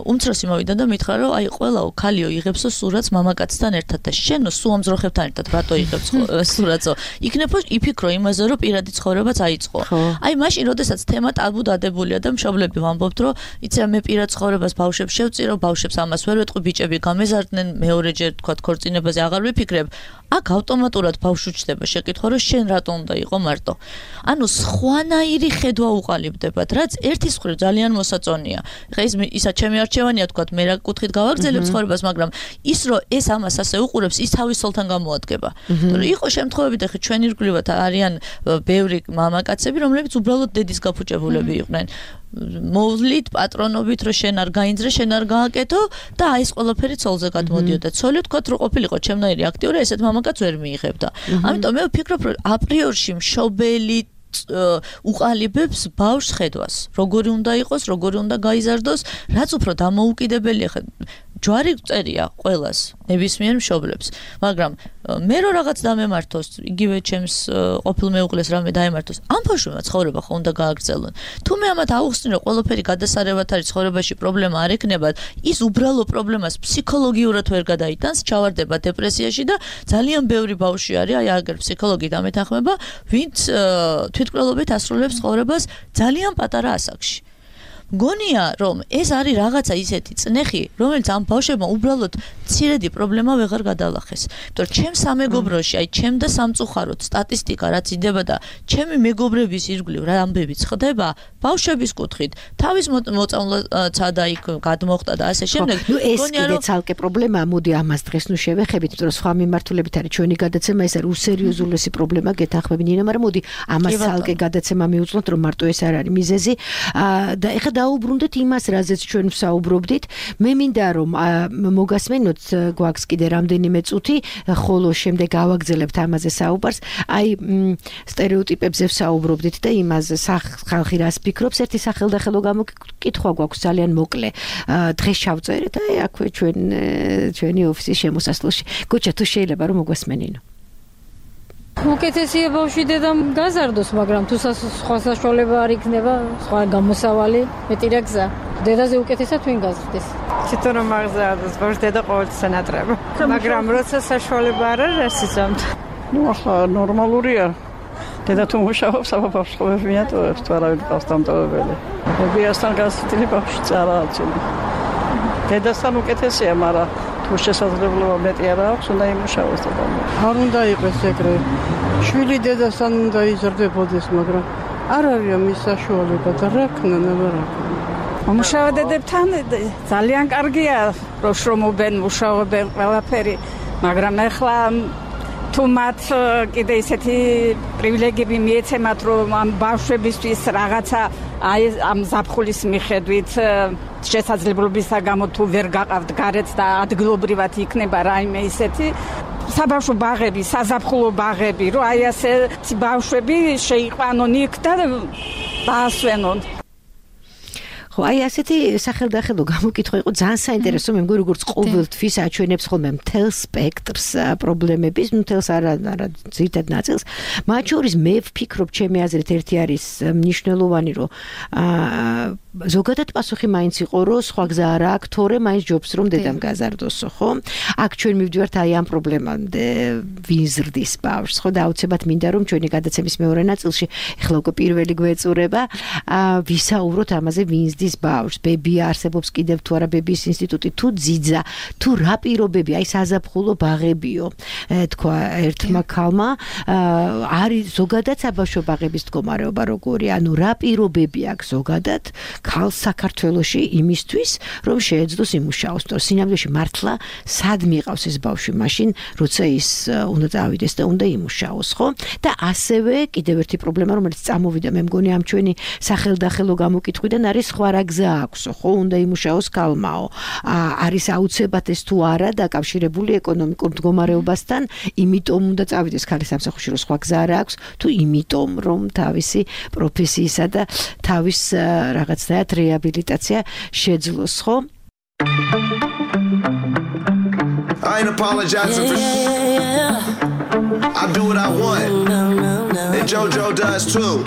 უმცროსი მოვიდა და მითხრა რომ აი ყველაო ქალიო იღებსო სურათს მამაკაცთან ერთად და შენო სულ ამ ძროხებთან ერთად რატო იღებს სურათსო? იქნებო იფიქრო იმაზე რომ პირადი ცხოვრებაც აიწყო. აი მაშინ როდესაც თემა ტაბუ დადებულია და მშობლები ვამბობთ რომ იცი მე პირად ცხოვრებას ბავშვებს შევწირო, ბავშვებს ამას ვერ ვეტყვი, ბიჭები გამეზარდნენ, მეორეჯერ თქვა ქორწინებაზე აღარ ვიფიქრებ. აქ ავტომატურად ბავშვი ჩდება შეკითხვა რომ შენ რატო უნდა იყო მარტო. ანუ სხვანაირი ხედვა უყალიბდებათ, რაც ერთის მხრივ ძალიან მოსაწონია. ხა ისა ჩემი არჩევანია თქვა, მე რა კუთხით გავაგრძელებ ცხოვრებას, მაგრამ ის რომ ეს ამას ასე უყურებს, ის თავის სოლთან გამოადგება. რომ იყო შემთხვევები და ხა ჩვენი რგვლივად არიან ბევრი მამაკაცები, რომლებიც უბრალოდ დედის გაფუჭებულები იყვნენ. მოვლით პატრონობით რომ შენ არ გაინძრე, შენ არ გააკეთო და აი ეს ყველაფერი ცოლზე გადმოდიოდა. ცოლი თქვა რომ ყოფილიყო ჩემნაირი აქტიური, ესეთ მამაკაც ვერ მიიღებდა. ამიტომ მე ვფიქრობ რომ აპრიორში მშობელი უყალიბებს ბავშვს ხედვას. როგორი უნდა იყოს, როგორი უნდა გაიზარდოს, რაც უფრო დამოუკიდებელია. ჯვარი წერია ყველას, ნებისმიერ მშობლებს, მაგრამ მე რო რაღაც დამემართოს, იგივე ჩემს ყოფილ მეუღლეს რამე დაემართოს, ამ ბავშვებმა ცხოვრება ხო უნდა გააგრძელონ. თუ მე ამათ აუხსნი რომ ყველაფერი გადასარევად არის ცხოვრებაში პრობლემა არ ექნება, ის უბრალო პრობლემას ფსიქოლოგიურად ვერ გადაიტანს, ჩავარდება დეპრესიაში და ძალიან ბევრი ბავშვი არის, აი აგერ ფსიქოლოგი დამეთანხმება, ვინც თვითმკვლელობით ასრულებს ცხოვრებას ძალიან პატარა ასაკში. მგონია რომ ეს არის რაღაცა ისეთი წნეხი, რომელიც ამ ბავშვებმა უბრალოდ მცირედი პრობლემა ვეღარ გადალახეს. იმიტომ რომ ჩემ სამეგობროში, აი ჩემ და სამწუხაროდ სტატისტიკა რაც იდება და ჩემი მეგობრების ირგვლივ რა ამბებიც ხდება, ბავშვების კუთხით, თავის მოწამვლაცა და იქ გადმოხტა და ასე შემდეგ. ეს კიდე ცალკე პრობლემაა, მოდი ამას დღეს შევეხებით, იმიტომ რომ სხვა მიმართულებით არის ჩვენი გადაცემა, ეს არის უსერიოზულესი პრობლემა, გეთანხმები ნინა, მაგრამ მოდი ამას ცალკე გადაცემა მივუძღოთ, რომ მარტო ეს არ არის მიზეზი და ეხლა დაუბრუნდეთ იმას, რაზეც ჩვენ ვსაუბრობდით. მე მინდა რომ მოგასმენოთ, გვაქვს კიდე რამდენიმე წუთი, ხოლო შემდეგ გავაგრძელებთ ამაზე საუბარს. აი სტერეოტიპებზე ვსაუბრობდით და იმაზე ხალხი რას ფიქრობს, ერთი სახელდახელო გამოკითხვა გვაქვს ძალიან მოკლე. დღეს ჩავწერეთ და აქვე ჩვენი ოფისის შემოსასვლელში. გოჩა თუ შეიძლება რომ მოგვასმენინო. უკეთესია ბავშვი დედამ გაზარდოს, მაგრამ თუ სხვა საშუალება არ იქნება, სხვა გამოსავალი, მეტი რა გზა. დედაზე უკეთესად ვინ გაზრდეს? თვითონ რომ აღზარდოს ბავშვი დედა ყოველთვის ენატრება. მაგრამ როცა საშუალება არ არის იცამთ. ახლა ნორმალურია. დედა თუ მუშაობს, აბა ბავშვს ყოველ მიატოვებს, თუ არავინ ყავს დამტოვებელი. მობიასთან გასწრებული ბავშვი წარააცილი. დედასთან უკეთესია, მაგრამ თუ შესაძლებლობა მეტი არ აქვს, უნდა იმუშაოს და არ უნდა იყოს ეგრე. შვილი დედასთან უნდა იზრდებოდეს, მაგრამ არ არის მის საშუალება და რა ქნა რა. მუშაობა დედებთან ძალიან კარგია, რომ შრომობენ, მუშაობენ ყველაფერი, მაგრამ ახლა თუ მათ კიდე ისეთი პრივილეგიები მიეცემათ, რომ ამ ბავშვებისთვის რაღაცა აი ამ ზაფხულის მიხედვით შესაძლებლობისა გამო თუ ვერ გაყავთ გარეთ და ადგილობრივად იქნება რაიმე ისეთი საბავშვო ბაღები, საზაფხულო ბაღები, რომ აი ასე ბავშვები შეიყვანონ იქ და დაასვენონ. ხო, აი ასეთი სახელდახელო გამოკითხვა იყო ძალიან საინტერესო, მე მგონი როგორც ყოველთვის აჩვენებს ხოლმე მთელ სპექტრს პრობლემების, მთელს არა ძირითად ნაწილს. მათ შორის მე ვფიქრობ, ჩემი აზრით ერთი არის მნიშვნელოვანი, რომ ზოგადად პასუხი მაინც იყო, რომ სხვა გზა არ აქვს, თორე მაინც ჯობს რომ დედამ გაზარდოსო, ხო? აქ ჩვენ მივდივართ აი ამ პრობლემამდე, ვინ ზრდის ბავშვს, ხო და აუცილებლად მინდა რომ ჩვენი გადაცემის მეორე ნაწილში, ეხლა უკვე პირველი გვეწურება, ვისაუბროთ ამაზე, ვინ ზრდის იზრდის ბავშვს, ბებია არსებობს კიდევ თუ არა ბებიის ინსტიტუტი, თუ ძიძა, თუ რა პირობები, აი საზაფხულო ბაღებიო, თქვა ერთმა ქალმა, არის ზოგადად საბავშვო ბაღების მდგომარეობა როგორია, ანუ რა პირობები აქვს ზოგადად ქალს საქართველოში იმისთვის, რომ შეეძლოს იმუშაოს, თორე სინამდვილეში მართლა სად მიყავს ეს ბავშვი მაშინ, როცა ის უნდა წავიდეს და უნდა იმუშაოს, ხო? და ასევე კიდევ ერთი პრობლემა, რომელიც წამოვიდა, მე მგონი ამ ჩვენი სახელდახელო გამოკითხვიდან არის სხვა რა გზა აქვსო, ხო? უნდა იმუშაოს ქალმაო. არის აუცილებლად ეს თუ არა დაკავშირებული ეკონომიკურ მდგომარეობასთან, იმიტომ უნდა წავიდეს ქალი სამსახურში, რომ სხვა გზა არ აქვს, თუ იმიტომ რომ თავისი პროფესიისა და თავის რაღაცნაირად რეაბილიტაცია შეძლოს, ხო? I ain't apologizing for I do what I want. And JoJo does too.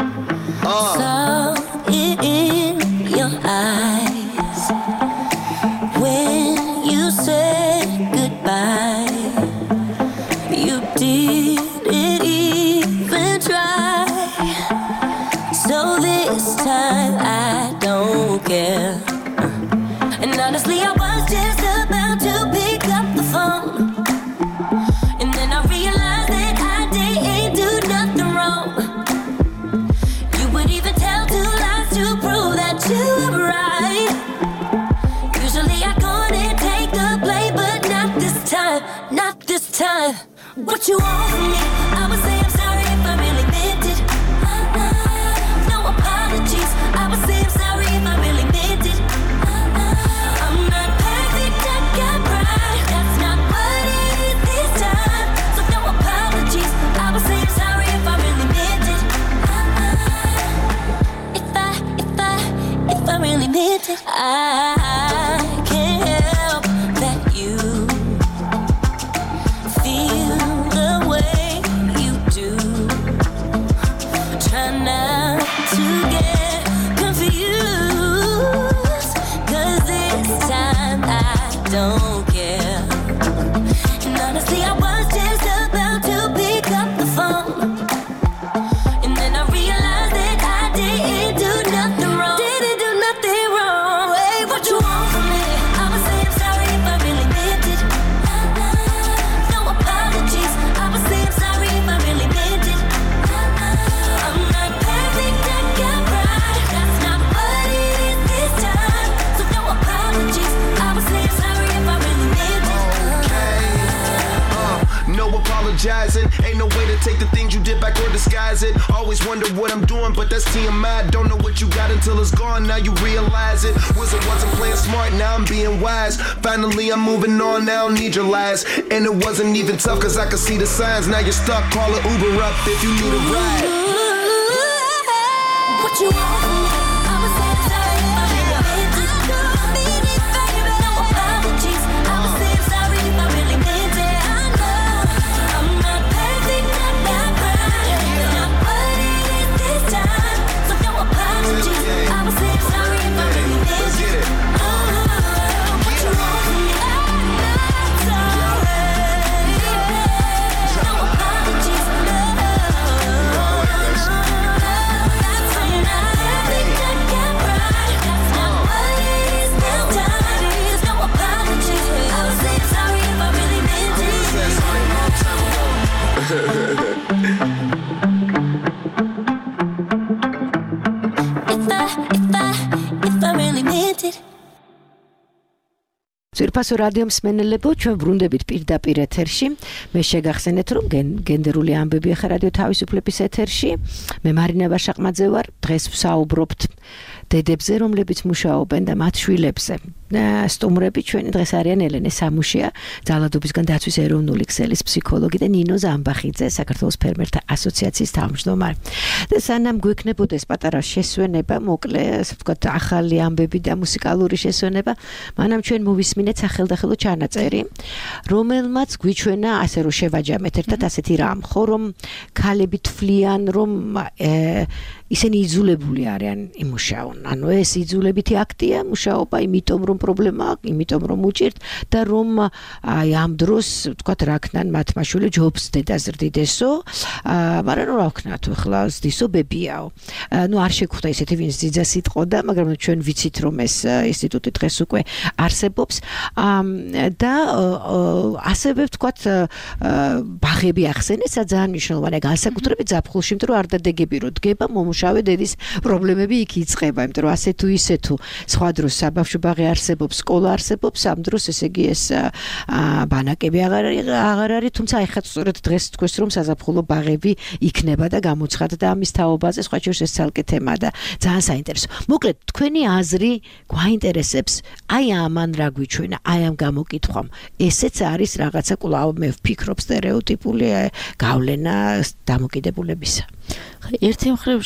Saw it in your eyes when you said goodbye. You didn't even try. So this time I don't care. And honestly, I was just about to pick up the phone. And then I realized that I didn't do nothing wrong. You would even tell two lies to prove that you were right. Usually I go and take the blame, but not this time, not this time. What you want from me? I would say I'm sorry if I really meant it. No apologies. I would say I'm sorry if I really meant it. I'm not perfect, I got pride. That's not what it is this time. So no apologies. I would say I'm sorry if I really meant it. If I really meant it, I can't help that you feel the way you do. Try not to get confused, 'cause this time I don't care. And honestly, I was just about to pick up the phone. And then I realized that I didn't do nothing wrong. Didn't do nothing wrong. Hey, what you want from me? I would say I'm sorry if I really meant it. No apologies. I would say I'm sorry if I really meant it. I'm not perfect, I got pride. That's not what it is this time. So no apologies. I would say I'm sorry if I really meant it. No apologizing. Ain't no way to take the things you did back or disguise it. Always wonder what I'm doing, but that's TMI. Don't know what you got until it's gone. Now you realize it. Wizard wasn't playing smart, now I'm being wise. Finally I'm moving on, now I don't need your lies. And it wasn't even tough, 'cause I could see the signs. Now you're stuck, call an Uber up if you need a ride. What you want from me? I would say I'm sorry if I really meant it. No apologies. I would say I'm sorry if I really meant it. I know I'm not perfect, I got pride. It's not what it is this time. So no apologies. I would say I'm sorry if I really meant it. What you want from me? I'm sorry. No apologies. No. That's when I think I got pride. That's not what it is this time. There's no apologies. I would say I'm sorry if I really meant it. If I really meant it. ძვირფასო რადიო მსმენელებო, ჩვენ ბრუნდებით პირდაპირ ეთერში. მე შეგახსენეთ, რომ გენდერული ამბები ახლა რადიო თავისუფლების ეთერში. მე მარინა ვაშაყმაძე ვარ. დღეს ვსაუბრობთ დედებზე, რომლებიც მუშაობენ და მათ შვილებზე. სტუმრები ჩვენი დღეს არიან ელენე სამუშია, ძალადობისგან დაცვის ეროვნული ქსელის ფსიქოლოგი და ნინო ზამბახიძე, საქართველოს ფერმერთა ასოციაციის თავმჯდომარე. და სანამ გვექნებოდეს პატარა შესვენება, მოკლე, ასე ვთქვათ, ახალი ამბები და მუსიკალური შესვენება, მანამ ჩვენ მოვისმინეთ სახელდახელო ჩანაწერი, რომელმაც გვიჩვენა, ასე რომ შევაჯამეთ ერთად ასეთი რამ, ხო, რომ ქალები თვლიან, რომ ისინი იძულებული არიან იმუშაონ. ანუ ეს იძულებითი აქტია მუშაობა, იმიტომ რომ რომ პრობლემა აქვს, იმიტომ რომ უჭირთ და რომ აი ამ დროს ვთქვათ რა ქნან მათ მაშვილი ჯობს დედას რდიდესო, მაგრამ რა ვქნა თუ ახლა ზდისო ბებიაო. ნუ არ შეგვხვდა ისეთი ვინც ძიძას იტყოდა, მაგრამ ჩვენ ვიცით რომ ეს ინსტიტუტი დღეს უკვე არსებობს და ასევე ვთქვათ ბაღები ახსენეს, ძალიან მნიშვნელოვანია განსაკუთრებით ზაფხულში, იმიტომ რომ არ დადეგები რო დგება, მომუშავე დედის პრობლემები იქ იწყება, იმიტომ რომ ასე თუ ისე თუ სხვა დროს საბავშვო ბაღი არსებობს, სკოლა არსებობს, ამ დროს ესე იგი ეს ბანაკები აღარ არის, თუმცა ეხლა სწორედ დღეს თქვეს რომ საზაფხულო ბაღები იქნება და გამოცხადდა ამის თაობაზე, სხვა შორის ეს ცალკე თემა და ძალიან საინტერესო. მოკლედ, თქვენი აზრი გვაინტერესებს, აი ამან რა გვიჩვენა, აი ამ გამოკითხვამ. ესეც არის რაღაცა კვლავ მე ვფიქრობ სტერეოტიპული გავლენა დამოკიდებულებისა. ერთი მხრივ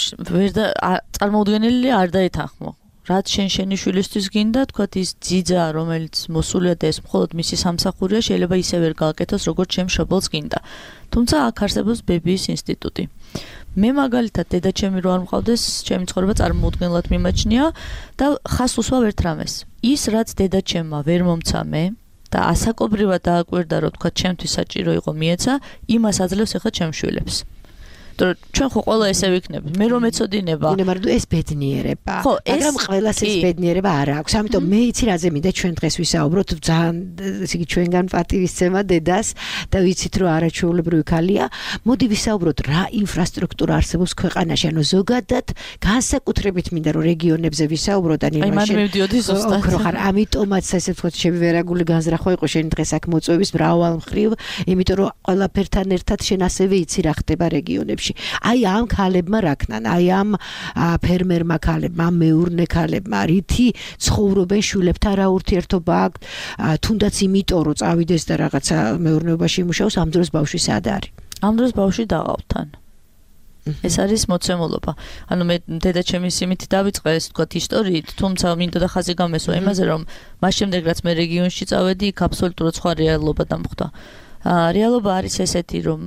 წარმოუდგენელი არ დაეთანხმო. რაც შენი შვილისთვის გინდა, თქვათ ის ძიძა, რომელიც მოსულია და ეს მხოლოდ მისი სამსახურია, შეიძლება ისე ვერ გააკეთოს, როგორც ჩემ მშობელს გინდა. თუმცა აქ არსებობს ბებიის ინსტიტუტი. მე მაგალითად დედაჩემი რო არ მყავდეს, ჩემი ცხოვრება წარმოუდგენლად მიმაჩნია და ხას უსვავ ერთ რამეს. ის რაც დედაჩემმა ვერ მომცა მე და ასაკობრივად დააკვირდა, რომ თქვათ ჩემთვის საჭირო იყო მიეცა, იმას აძლევს ახლა ჩემ შვილებს. ჩვენ ხო ყველა ესე ვიქნებით. მე რომ ეცოდინება. მაგრამ ეს ბედნიერება. მაგრამ ყველას ეს ბედნიერება არ აქვს. ამიტომ მე იცი რაზე მინდა ჩვენ დღეს ვისაუბროთ, ძალიან ესე იგი ჩვენგან პატივისცემა დედას და ვიცით რომ არაჩვეულებრივი ქალია. მოდი ვისაუბროთ რა ინფრასტრუქტურა არსებობს ქვეყანაში, ანუ ზოგადად განსაკუთრებით მინდა რომ რეგიონებზე ვისაუბროთ და ოქროხარ. ამიტომაც ესე ვთქვათ შევერაგული განზრახვა იყო შენ დღეს აქ მოწვევის მრავალ მხრივ, იმიტომ რომ ყველაფერთან ერთად შენ ასევე იცი რა ხდება რეგიონებში. აი ამ ქალებმა რა ქნან, აი ამ ფერმერმა ქალებმა, ამ მეურნე ქალებმა, რითი ცხოვრობენ შვილებთან რა ურთიერთობა აქვს, თუნდაც იმიტომ რომ წავიდეს და რაღაცა მეურნეობაში იმუშაოს, ამ დროს ბავშვი სად არის? ამ დროს ბავშვი დაღავთან. ეს არის მოცემულობა. ანუ მე დედაჩემის იმით დავიწყე ეს თქვათ ისტორიით, თუმცა მინდოდა ხაზი გამესვა იმაზე, რომ მას შემდეგ რაც მე რეგიონში წავედი, იქ აბსოლუტურად სხვა რეალობა დამხვდა. რეალობა არის ესეთი, რომ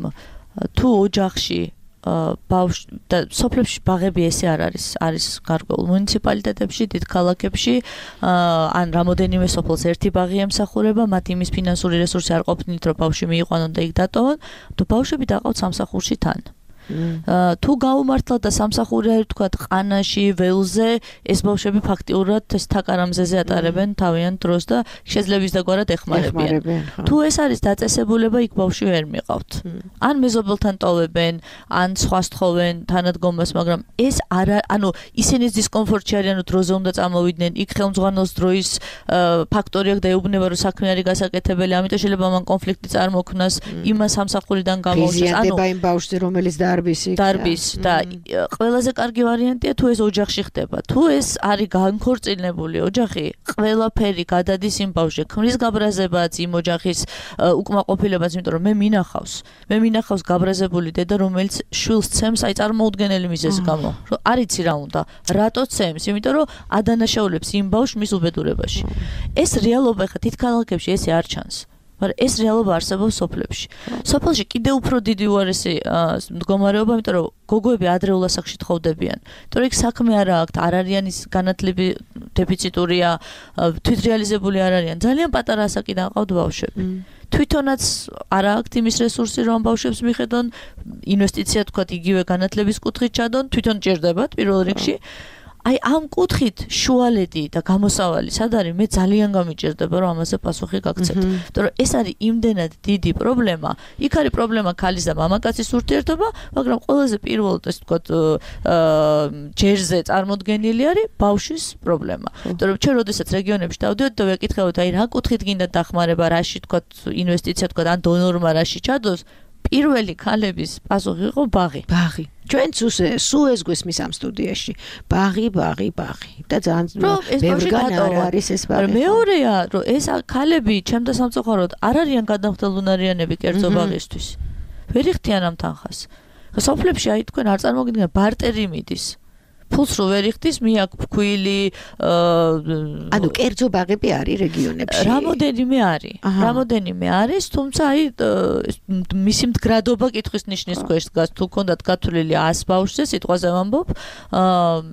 თუ ოჯახში და სოფლებში ბაღები ესე არ არის გარკვეულ მუნიციპალიტეტებში, დიდ ქალაქებში, ან რამოდენიმე სოფელს ერთი ბაღი ემსახურება, მათ იმის ფინანსური რესურსი არ ყოფნით, რომ ბავშვი მიიყვანონ და იქ დატოვონ, თუ ბავშვები დაყავთ სამსახურში თან. თუ გაუმართლად და სამსახური არის თქვათ ყანაში, ველზე, ეს ბავშვები ფაქტიურად ეს თაკარამზეზე ატარებენ თავიანთ დროს და შეძლების დაგვარად ეხმარებიან. თუ ეს არის დაწესებულება, იქ ბავშვი ვერ მიყავთ. ან მეზობელთან ტოვებენ, ან სხვას თხოვენ თანადგომას, მაგრამ ეს არა, ანუ ისინი დისკომფორტში არიან, რომ დროზე უნდა წამოვიდნენ, იქ ხელმძღვანელს დროის ფაქტორი აქვს და ეუბნება, რომ საქმე არის გასაკეთებელი, ამიტომ შეიძლება მან კონფლიქტი წარმოქმნას, იმას სამსახურიდან გამოუშვეს. ანუ იმ ბავშვზე, რომელიც დარბის და ყველაზე კარგი ვარიანტია თუ ეს ოჯახში ხდება. თუ ეს არის განქორწინებული ოჯახი, ყველაფერი გადადის იმ ბავშვზე. ქმრის გაბრაზებაც, იმ ოჯახის უკმაყოფილებაც, იმიტომ რომ მე მინახავს გაბრაზებული დედა, რომელიც შვილს ცემს აი წარმოუდგენელი მიზეზის გამო. რომ არ იცი რა უნდა, რატო ცემს, იმიტომ რომ ადანაშაულებს იმ ბავშვს მის უბედურებაში. ეს რეალობა ხა თით ქალაქებში ესე არ ჩანს. მაგრამ ეს რეალობა არსებობს სოფლებში. სოფელში კიდევ უფრო დიდი უარესი მდგომარეობა, იმიტომ რომ გოგოები ადრეულ ასაკში თხოვდებიან. იმიტომ რომ იქ საქმე არ აქვს, არ არიან ის განათლები დეფიციტურია, თვითრეალიზებული არ არიან. ძალიან პატარა ასაკიდან ყავთ ბავშვები. თვითონაც არ აქვს იმის რესურსი, რომ ბავშვებს მიხედონ, ინვესტიცია თქვათ იგივე განათლების კუთხით ჩადონ, თვითონ ჭირდებათ პირველ რიგში. აი ამ კუთხით შუალედი და გამოსავალი სად არის? მე ძალიან გამიჭირდება რომ ამაზე პასუხი გაგცეთ. იმიტომ რომ ეს არის იმდენად დიდი პრობლემა. იქ არის პრობლემა ქალის და მამაკაცის ურთიერთობა, მაგრამ ყველაზე პირველად ეს ვთქვათ ჯერზე წარმოდგენილი არის ბავშვის პრობლემა. იმიტომ რომ ჩვენ როდესაც რეგიონებში დავდივართ და ვეკითხავთ აი რა კუთხით გინდა დახმარება, რაში ვთქვათ ინვესტიცია ვთქვათ ან დონორმა რაში ჩადოს, პირველი ქალების პასუხი იყო ბაღი. ჩვენ სულ ეს გვესმის ამ სტუდიაში. ბაღი და ძალიან ბევრგან არ არის ეს ბაღი. მეორეა, რომ ეს ქალები ჩემთა სამწუხაროდ არ არიან გადამხდელუნარიანები კერძო ბაღისთვის. ვერ იხდიან ამ თანხას. სოფლებში აი თქვენ არ წარმოგიდგენთ ბარტერი მიდის. ფულს რო ვერ იხდის, მიაკ ფქვილი ანუ კერძო ბაღები არის რეგიონებში. რამოდენიმე არის, თუმცა აი მისი მდგრადობა კითხვის ნიშნის ქვეშ დგას. თუ ქონდათ გათვლილი 100 ბავშვზე, სიტყვაზე ვამბობ,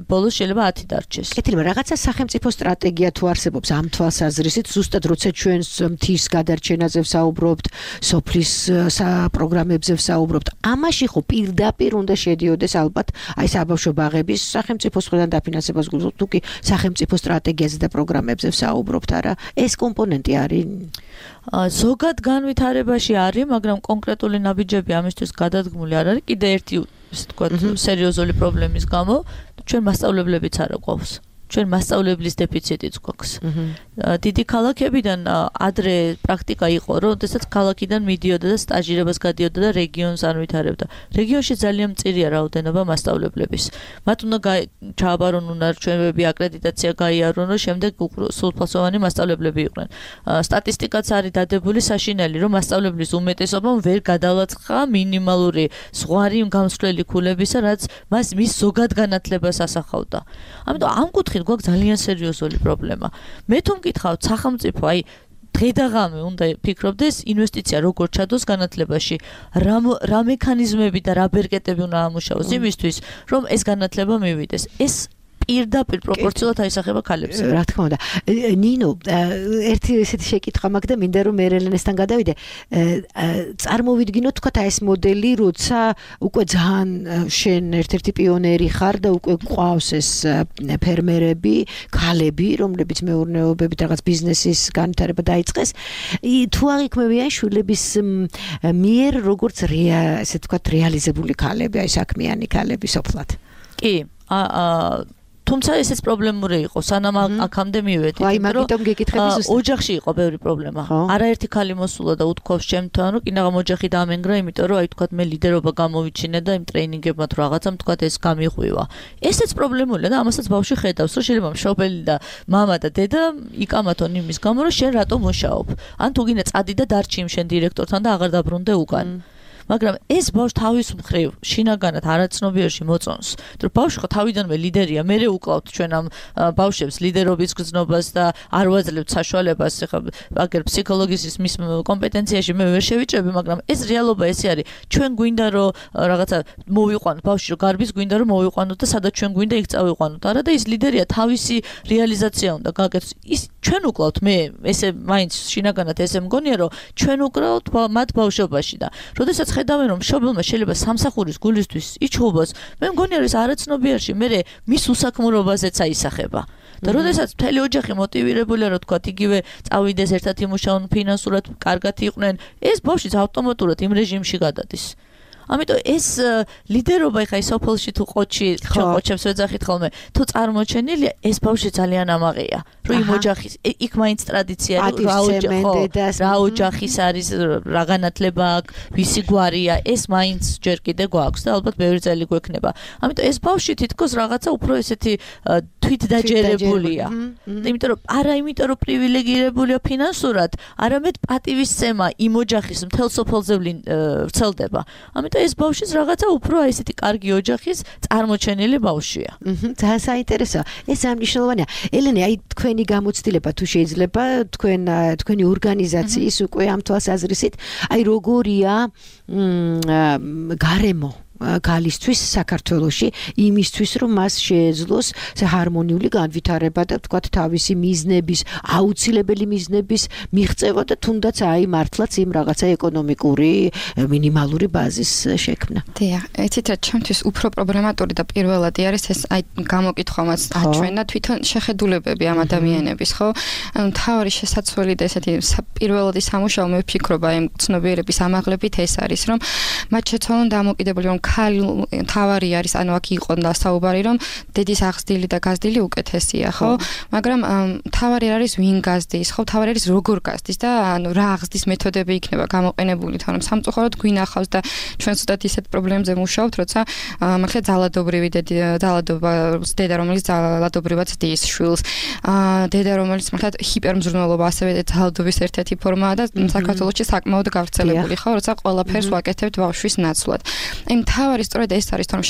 ბოლოს შეიძლება 10 დარჩეს. კეთილმა, რაღაცა სახელმწიფო სტრატეგია თუ არსებობს ამ თვალსაზრისით, ზუსტად როცა ჩვენს მთის გადარჩენაზე ვსაუბრობთ, სოფლის პროგრამებზე ვსაუბრობთ, ამაში ხო პირდაპირ უნდა შედიოდეს ალბათ აი საბავშვო ბაღების სახელმწიფოს მხრიდან დაფინანსებას გულისხმობთ, თუ კი სახელმწიფო სტრატეგიაზე და პროგრამებზე ვსაუბრობთ, არა? ეს კომპონენტი არის? ზოგად განვითარებაში არის, მაგრამ კონკრეტული ნაბიჯები ამისთვის გადადგმული არ არის. კიდე ერთი, ისე ვთქვათ, სერიოზული პრობლემის გამო ჩვენ მასწავლებლებიც არ გვაქვს. ჩვენ მასწავლებლის დეფიციტიც გვაქვს. დიდი ქალაქებიდან ადრე პრაქტიკა იყო, რომ შესაძაც ქალაქიდან მიდიოდა და სტაჟირებას გადიოდა და რეგიონს ანვითარებდა. რეგიონში ძალიან მწირია რაოდენობა მასწავლებლების. მათ უნდა ჩააბარონ უნარჩვენები, აკრედიტაცია გაიარონ, რომ შემდეგ სრულფასოვანი მასწავლებლები იყვნენ. სტატისტიკაც არის დადებული საშინელი, რომ მასწავლებლის უმეტესობამ ვერ გადალაცხა მინიმალური ზღვარი გამსვლელი ქულებისა, რაც მის ზოგად განათლებას ასახავდა. ამიტომ ამ კუთხით გვაქვს ძალიან სერიოზული პრობლემა. მე თუ მკითხავთ სახელმწიფო, აი დღე და ღამე უნდა ფიქრობდეს ინვესტიცია როგორ ჩადოს განათლებაში, რა მექანიზმები და რა ბერკეტები უნდა ამუშავოს იმისთვის, რომ ეს განათლება მივიდეს. ეს პირდაპირ პროპორციულად აისახება ქალებს. რა თქმა უნდა. ნინო, ერთი ესეთი შეკითხვა მაქვს და მინდა რომ ერელენესთან გადავიდე. წარმოვიდგინოთ თქვა ეს მოდელი, როცა უკვე ძალიან შენ ერთ-ერთი პიონერი ხარ და უკვე ყავს ეს ფერმერები, ქალები, რომლებიც მეურნეობებით რაღაც ბიზნესის განვითარება დაიწყეს. თუ აღიქმებიან შვილების მიერ როგორც ესე თქვა რეალიზებული ქალები, აი საქმიანი ქალები სოფლად. კი, თუმცა ესეც პრობლემური იყო, სანამ აქამდე მივედით, ოჯახში იყო ბევრი პრობლემა. არაერთი ქალი მოსულა და უთქვავს ჩემთან, რომ კინაღამ ოჯახი დამენგრა, იმიტომ რომ აი თქვათ მე ლიდერობა გამოვიჩინე და იმ ტრეინინგებმა თუ რაღაცამ თქვათ ეს გამიღვივა. ესეც პრობლემულია და ამასაც ბავშვი ხედავს, რომ შეიძლება მშობელი და მამა და დედა იკამათონ იმის გამო, რომ შენ რატომ მუშაობ. ან თუ გინდა წადი და დარჩი იმ შენ დირექტორთან და აღარ დაბრუნდე უკან. მაგრამ ეს ბავშვი თავის მხრივ შინაგანად არაცნობიერში მოწონს. თუ ბავშვი ხო თავიდანვე ლიდერია, მე უკლავთ ჩვენ ამ ბავშვებს ლიდერობის გზნობას და არ ვაძლევთ საშუალებას, ხა აგერ ფსიქოლოგიის მის კომპეტენციაში მე ვერ შევიჭრები, მაგრამ ეს რეალობა ესე არის. ჩვენ გვინდა რომ რაღაცა მოვიყვანოთ ბავშვი, რომ გარბის გვინდა რომ მოვიყვანოთ და სადაც ჩვენ გვინდა იქ წავიყვანოთ. არა და ის ლიდერია თავისი რეალიზაცია უნდა გაკეთოს. ის ჩვენ უკლავთ მე ესე მაინც შინაგანად ესე მგონია რომ ჩვენ უკლავთ მათ ბავშვობაში და როდესაც ხედავენ რომ მშობელმა შეიძლება სამსახურის გულისთვის იჩხუბოს, მე მგონია რომ ეს არაცნობიერში მე მის უსაქმურობაზეც აისახება. და როდესაც მთელი ოჯახი მოტივირებულია რომ თქვა იგივე წავიდეს ერთად იმუშაონ ფინანსურად კარგად იყვნენ, ეს ბავშვიც ავტომატურად იმ რეჟიმში გადადის. ამიტომ ეს ლიდერობა ხა ის სოფელში თუ ყოჩი ყოჩებს ვეძახით ხოლმე თუ წარმოჩენილია ეს ბავშვი ძალიან ამაღია რომ იმ ოჯახის იქ მაინც ტრადიცია რა ოჯახის არის რა განათლება აქვს ვისი გვარია ეს მაინც ჯერ კიდე გვაქვს და ალბათ ბევრი წელი გვექნება ამიტომ ეს ბავშვი თითქოს რაღაცა უფრო ესეთი თვითდაჯერებულია იმიტომ რომ არა იმიტომ რომ პრივილეგირებულია ფინანსურად არამედ პატივისცემა იმ ოჯახის მთელ სოფელზე ვრცელდება ამიტომ ეს ბავშვის რაღაცა უფრო ესეთი კარგი ოჯახის წარმოჩენილი ბავშვია. ძალიან საინტერესოა. ეს ამნიშნულოვანია. ელენე, აი თქვენი გამოცდილება თუ შეიძლება თქვენი ორგანიზაციის უკვე ამ თვალსაზრისით, აი როგორია გარემო გალისთვის საქართველოში იმისთვის რომ მას შეეძლოს ჰარმონიული განვითარება და თქვათ თავისი მიზნების აუცილებელი მიზნების მიღწევა და თუნდაც აი მართლაც იმ რაღაცა ეკონომიკური მინიმალური ბაზის შექმნა. დიახ, იცით რა ჩემთვის უფრო პრობლემატური და პირველადი არის ეს აი გამოკითხვამაც აჩვენა თვითონ შეხედულებები ამ ადამიანების, ხო? ანუ თავი შესაძლებელი და ესეთი პირველადი სამუშაო მე ვფიქრობ აი ცნობიერების ამაღლებით ეს არის რომ მათ შეცვალონ დამოკიდებული რომ თავარი არის ანუ აქ იყო და საუბარი რომ დედის აღზრდილი და გაზრდილი უკეთესია ხო მაგრამ თავარი არის ვინ გაზრდის ხო თავარი არის როგორ გაზრდის და ანუ რა აღზრდის მეთოდები იქნება გამოყენებული თორემ სამწუხაროდ გვინახავს და ჩვენ ცოტა ისეთ პრობლემებზე მუშაობთ როცა მაგალითად ძალადობრივი დედა რომელიც ძალადობრივად ძდის შვილს დედა რომელიც მაგალითად ჰიპერმზრუნველობა ასევე ძალადობის ერთ-ერთი ფორმაა და საქართველოში საკმაოდ გავრცელებული ხო როცა ყველაფერს ვაკეთებთ ბავშვის ნაცვლად იმ თავარი სწორედ ეს არის, რომ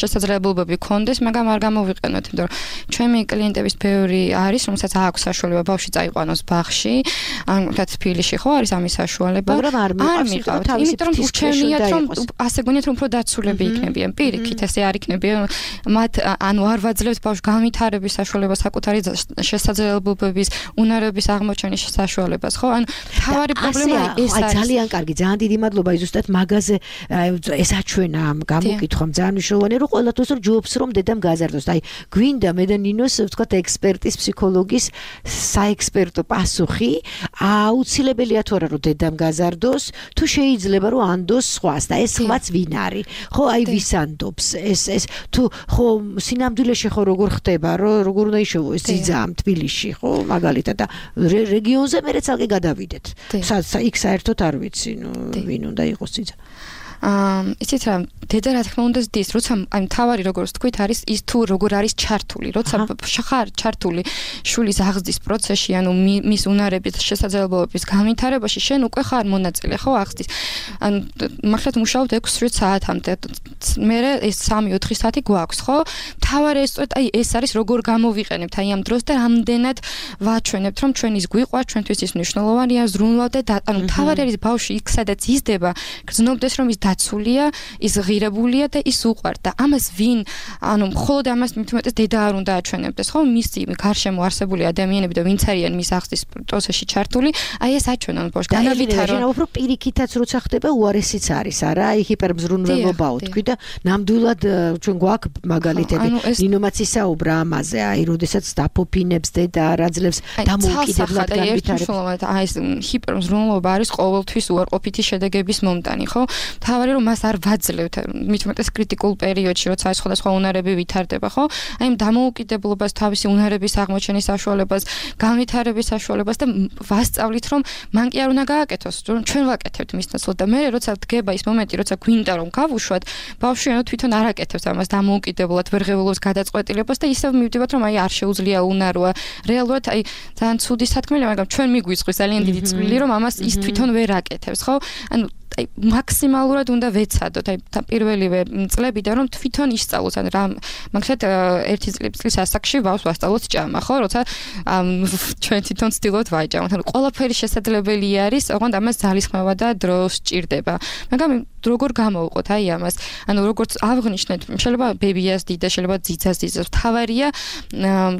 შესაძლებლობები გქონდეს, მაგრამ არ გამოვიყენოთ, იმიტომ რომ ჩემი კლიენტების ბევრი არის, რომელსაც აქვს საშუალება ბავშვი წაიყვანოს ბაღში, ან თათ თბილისში ხო არის ამის საშუალება. მაგრამ არ მიყავთ, იმიტომ რომ ურჩევნიათ, რომ ასე გონიათ, რომ უფრო დაცულები იქნებიან. პირიქით ესე არ იქნებიან. მათ ანუ არ ვაძლევთ ბავშვს განვითარების საშუალებას, საკუთარი შესაძლებლობების, უნარების აღმოჩენის საშუალებას, ხო? ანუ თავარი პრობლემა ეს არის. ძალიან კარგი, ძალიან დიდი მადლობა ზუსტად მაგაზე ეს აჩვენა ამ გამოკითხვამ ძალიან მნიშვნელოვანია, რომ ყველათოს რომ ჯობს რომ დედამ გაზარდოს. აი, გვინდა მე და ნინოს ვთქვათ ექსპერტის, ფსიქოლოგის საექსპერტო პასუხი, აუცილებელია თუ არა რომ დედამ გაზარდოს, თუ შეიძლება რომ ანდოს სხვას და ეს სხვაც ვინ არის? ხო, აი ვის ანდობს? ეს თუ ხო სინამდვილეში ხო როგორ ხდება, როგორ უნდა იშოვოს ძიძა ამ თბილისში, ხო, მაგალითად და რეგიონზე მე ცალკე გადავიდეთ. იქ საერთოდ არ ვიცი, ვინ უნდა იყოს ძიძა. იცით რა, დედა რა თქმა უნდა ზდის, როცა აი თავარი როგორც თქვით არის ის თუ როგორ არის ჩართული, როცა ხარ ჩართული შვილის აღზრდის პროცესში, ანუ მის უნარების შესაძლებლობების განვითარებაში, შენ უკვე ხარ მონაწილე, ხო, აღზრდის. ანუ მართლაც მუშაობთ 6-7 საათამდე. მე ეს 3-4 საათი გვაქვს, ხო? თავარი ეს აი ეს არის როგორ გამოვიყენებთ აი ამ დროს და რამდენად ვაჩვენებთ, რომ ჩვენ ის გვიყვარს, ჩვენთვის ის მნიშვნელოვანია, ზრუნავთ და ანუ თავარი არის ბავშვი იქ სადაც იზრდება, გრძნობდეს რომ ის დაცულია, ის ღირებულია და ის უყვართ და ამას ვინ, ანუ მხოლოდ ამას მithumetes დედა არ უნდა აჩვენებდეს, ხო? მისი გარშემო არსებული ადამიანები და ვინც არიან მის აღზრდის პროცესში ჩართული, აი ეს აჩვენონ ბავშვს განავითარო. და უფრო პირიქითაც როცა ხდება უარესიც არის, არა? აი ჰიპერმზრუნველობაო თქვი და ნამდვილად ჩვენ გვაქვს მაგალითები. ნინომაც ისაუბრა ამაზე, აი როდესაც დაფოფინებს დედა რაძლებს დამოუკიდებლად განვითარებს. აი ეს ჰიპერმზრუნველობა არის ყოველთვის უარყოფითი შედეგების მომტანი, ხო? თავარი რომ მას არ ვაძლევთ, მithumetes კრიტიკულ პერიოდში, როცა ეს სხვადასხვა უნარები ვითარდება, ხო? აი ამ დამოუკიდებლობას, თავისი უნარების აღმოჩენის საშუალებას, განვითარების საშუალებას და ვასწავლით, რომ მან კი არ უნდა გააკეთოს, რომ ჩვენ ვაკეთებთ მის ნაცვლად და მე როცა დგება ის მომენტი, როცა გვინდა რომ გავუშვათ, ბავშვი ანუ თვითონ არ აკეთებს ამას დამოუკიდებლად, ვერ ღებულობს გადაწყვეტილებას და ისევ მივდივართ, რომ აი არ შეუძლია უნაროა. რეალურად აი ძალიან ცუდი სათქმელია, მაგრამ ჩვენ მიგვიწყვის ძალიან დიდი წვლილი, რომ ამას ის თვითონ ვერ აკეთებს, ხო? ანუ აი მაქსიმალურად უნდა ვეცადოთ აი პირველივე წლებიდან რომ თვითონ ისწავლოს ან რა მაგალითად ერთი წლის ასაკში ბავშვს ვასწავლოთ ჭამა ხო როცა ჩვენ თვითონ ვცდილობთ ვაჭამოთ ანუ ყველაფერი შესაძლებელი არის ოღონდ ამას ძალისხმევა და დრო სჭირდება მაგრამ როგორ გამოვყოთ აი ამას ანუ როგორც აღნიშნეთ შეიძლება ბებიას დიდა შეიძლება ძიცას ძიცას თავარია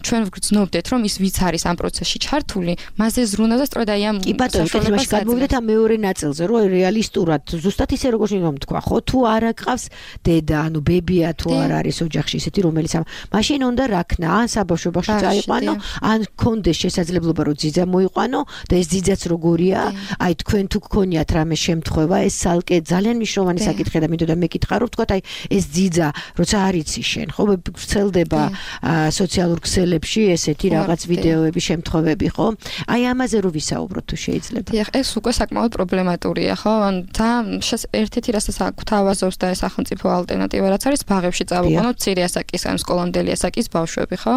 ჩვენ ვგრძნობდეთ რომ ის ვიც არის ამ პროცესში ჩართული მასზე ზრუნავ და სწორედ აი ამ საშუალებას გადმოვიდეთ ამ მეორე ნაწილზე რომ რეალისტურად ზუსტად ისე როგორც რომ თქვა ხო თუ არ აკყავს დედა ანუ ბებია თუ არ არის ოჯახში ისეთი რომელიც მაშინ უნდა რაქნა ან საბავშვობაში წაიყვანო ან კონდეს შესაძლებლობა რომ ძიძა მოიყვანო და ეს ძიძაც როგორია აი თქვენ თუ გქონიათ რამე შემთხვევა ეს სალკე ძალიან მნიშვნელოვანი საკითხია და მინდოდა მეკითხა რომ თქვა აი ეს ძიძა როცა არ იცი შენ ხო ვრცელდება სოციალურ ქსელებში ესეთი რაღაც ვიდეოები შემთხვევები ხო აი ამაზე რო ვისაუბროთ თუ შეიძლება დიახ ეს უკვე საკმაოდ პრობლემატურია ხო ან ერთ-ერთი რასაც გვთავაზობს და ეს სახელმწიფო ალტერნატივა რაც არის ბაღებში წავიყვანოთ მცირე ასაკის ან სკოლამდელი ასაკის ბავშვები ხო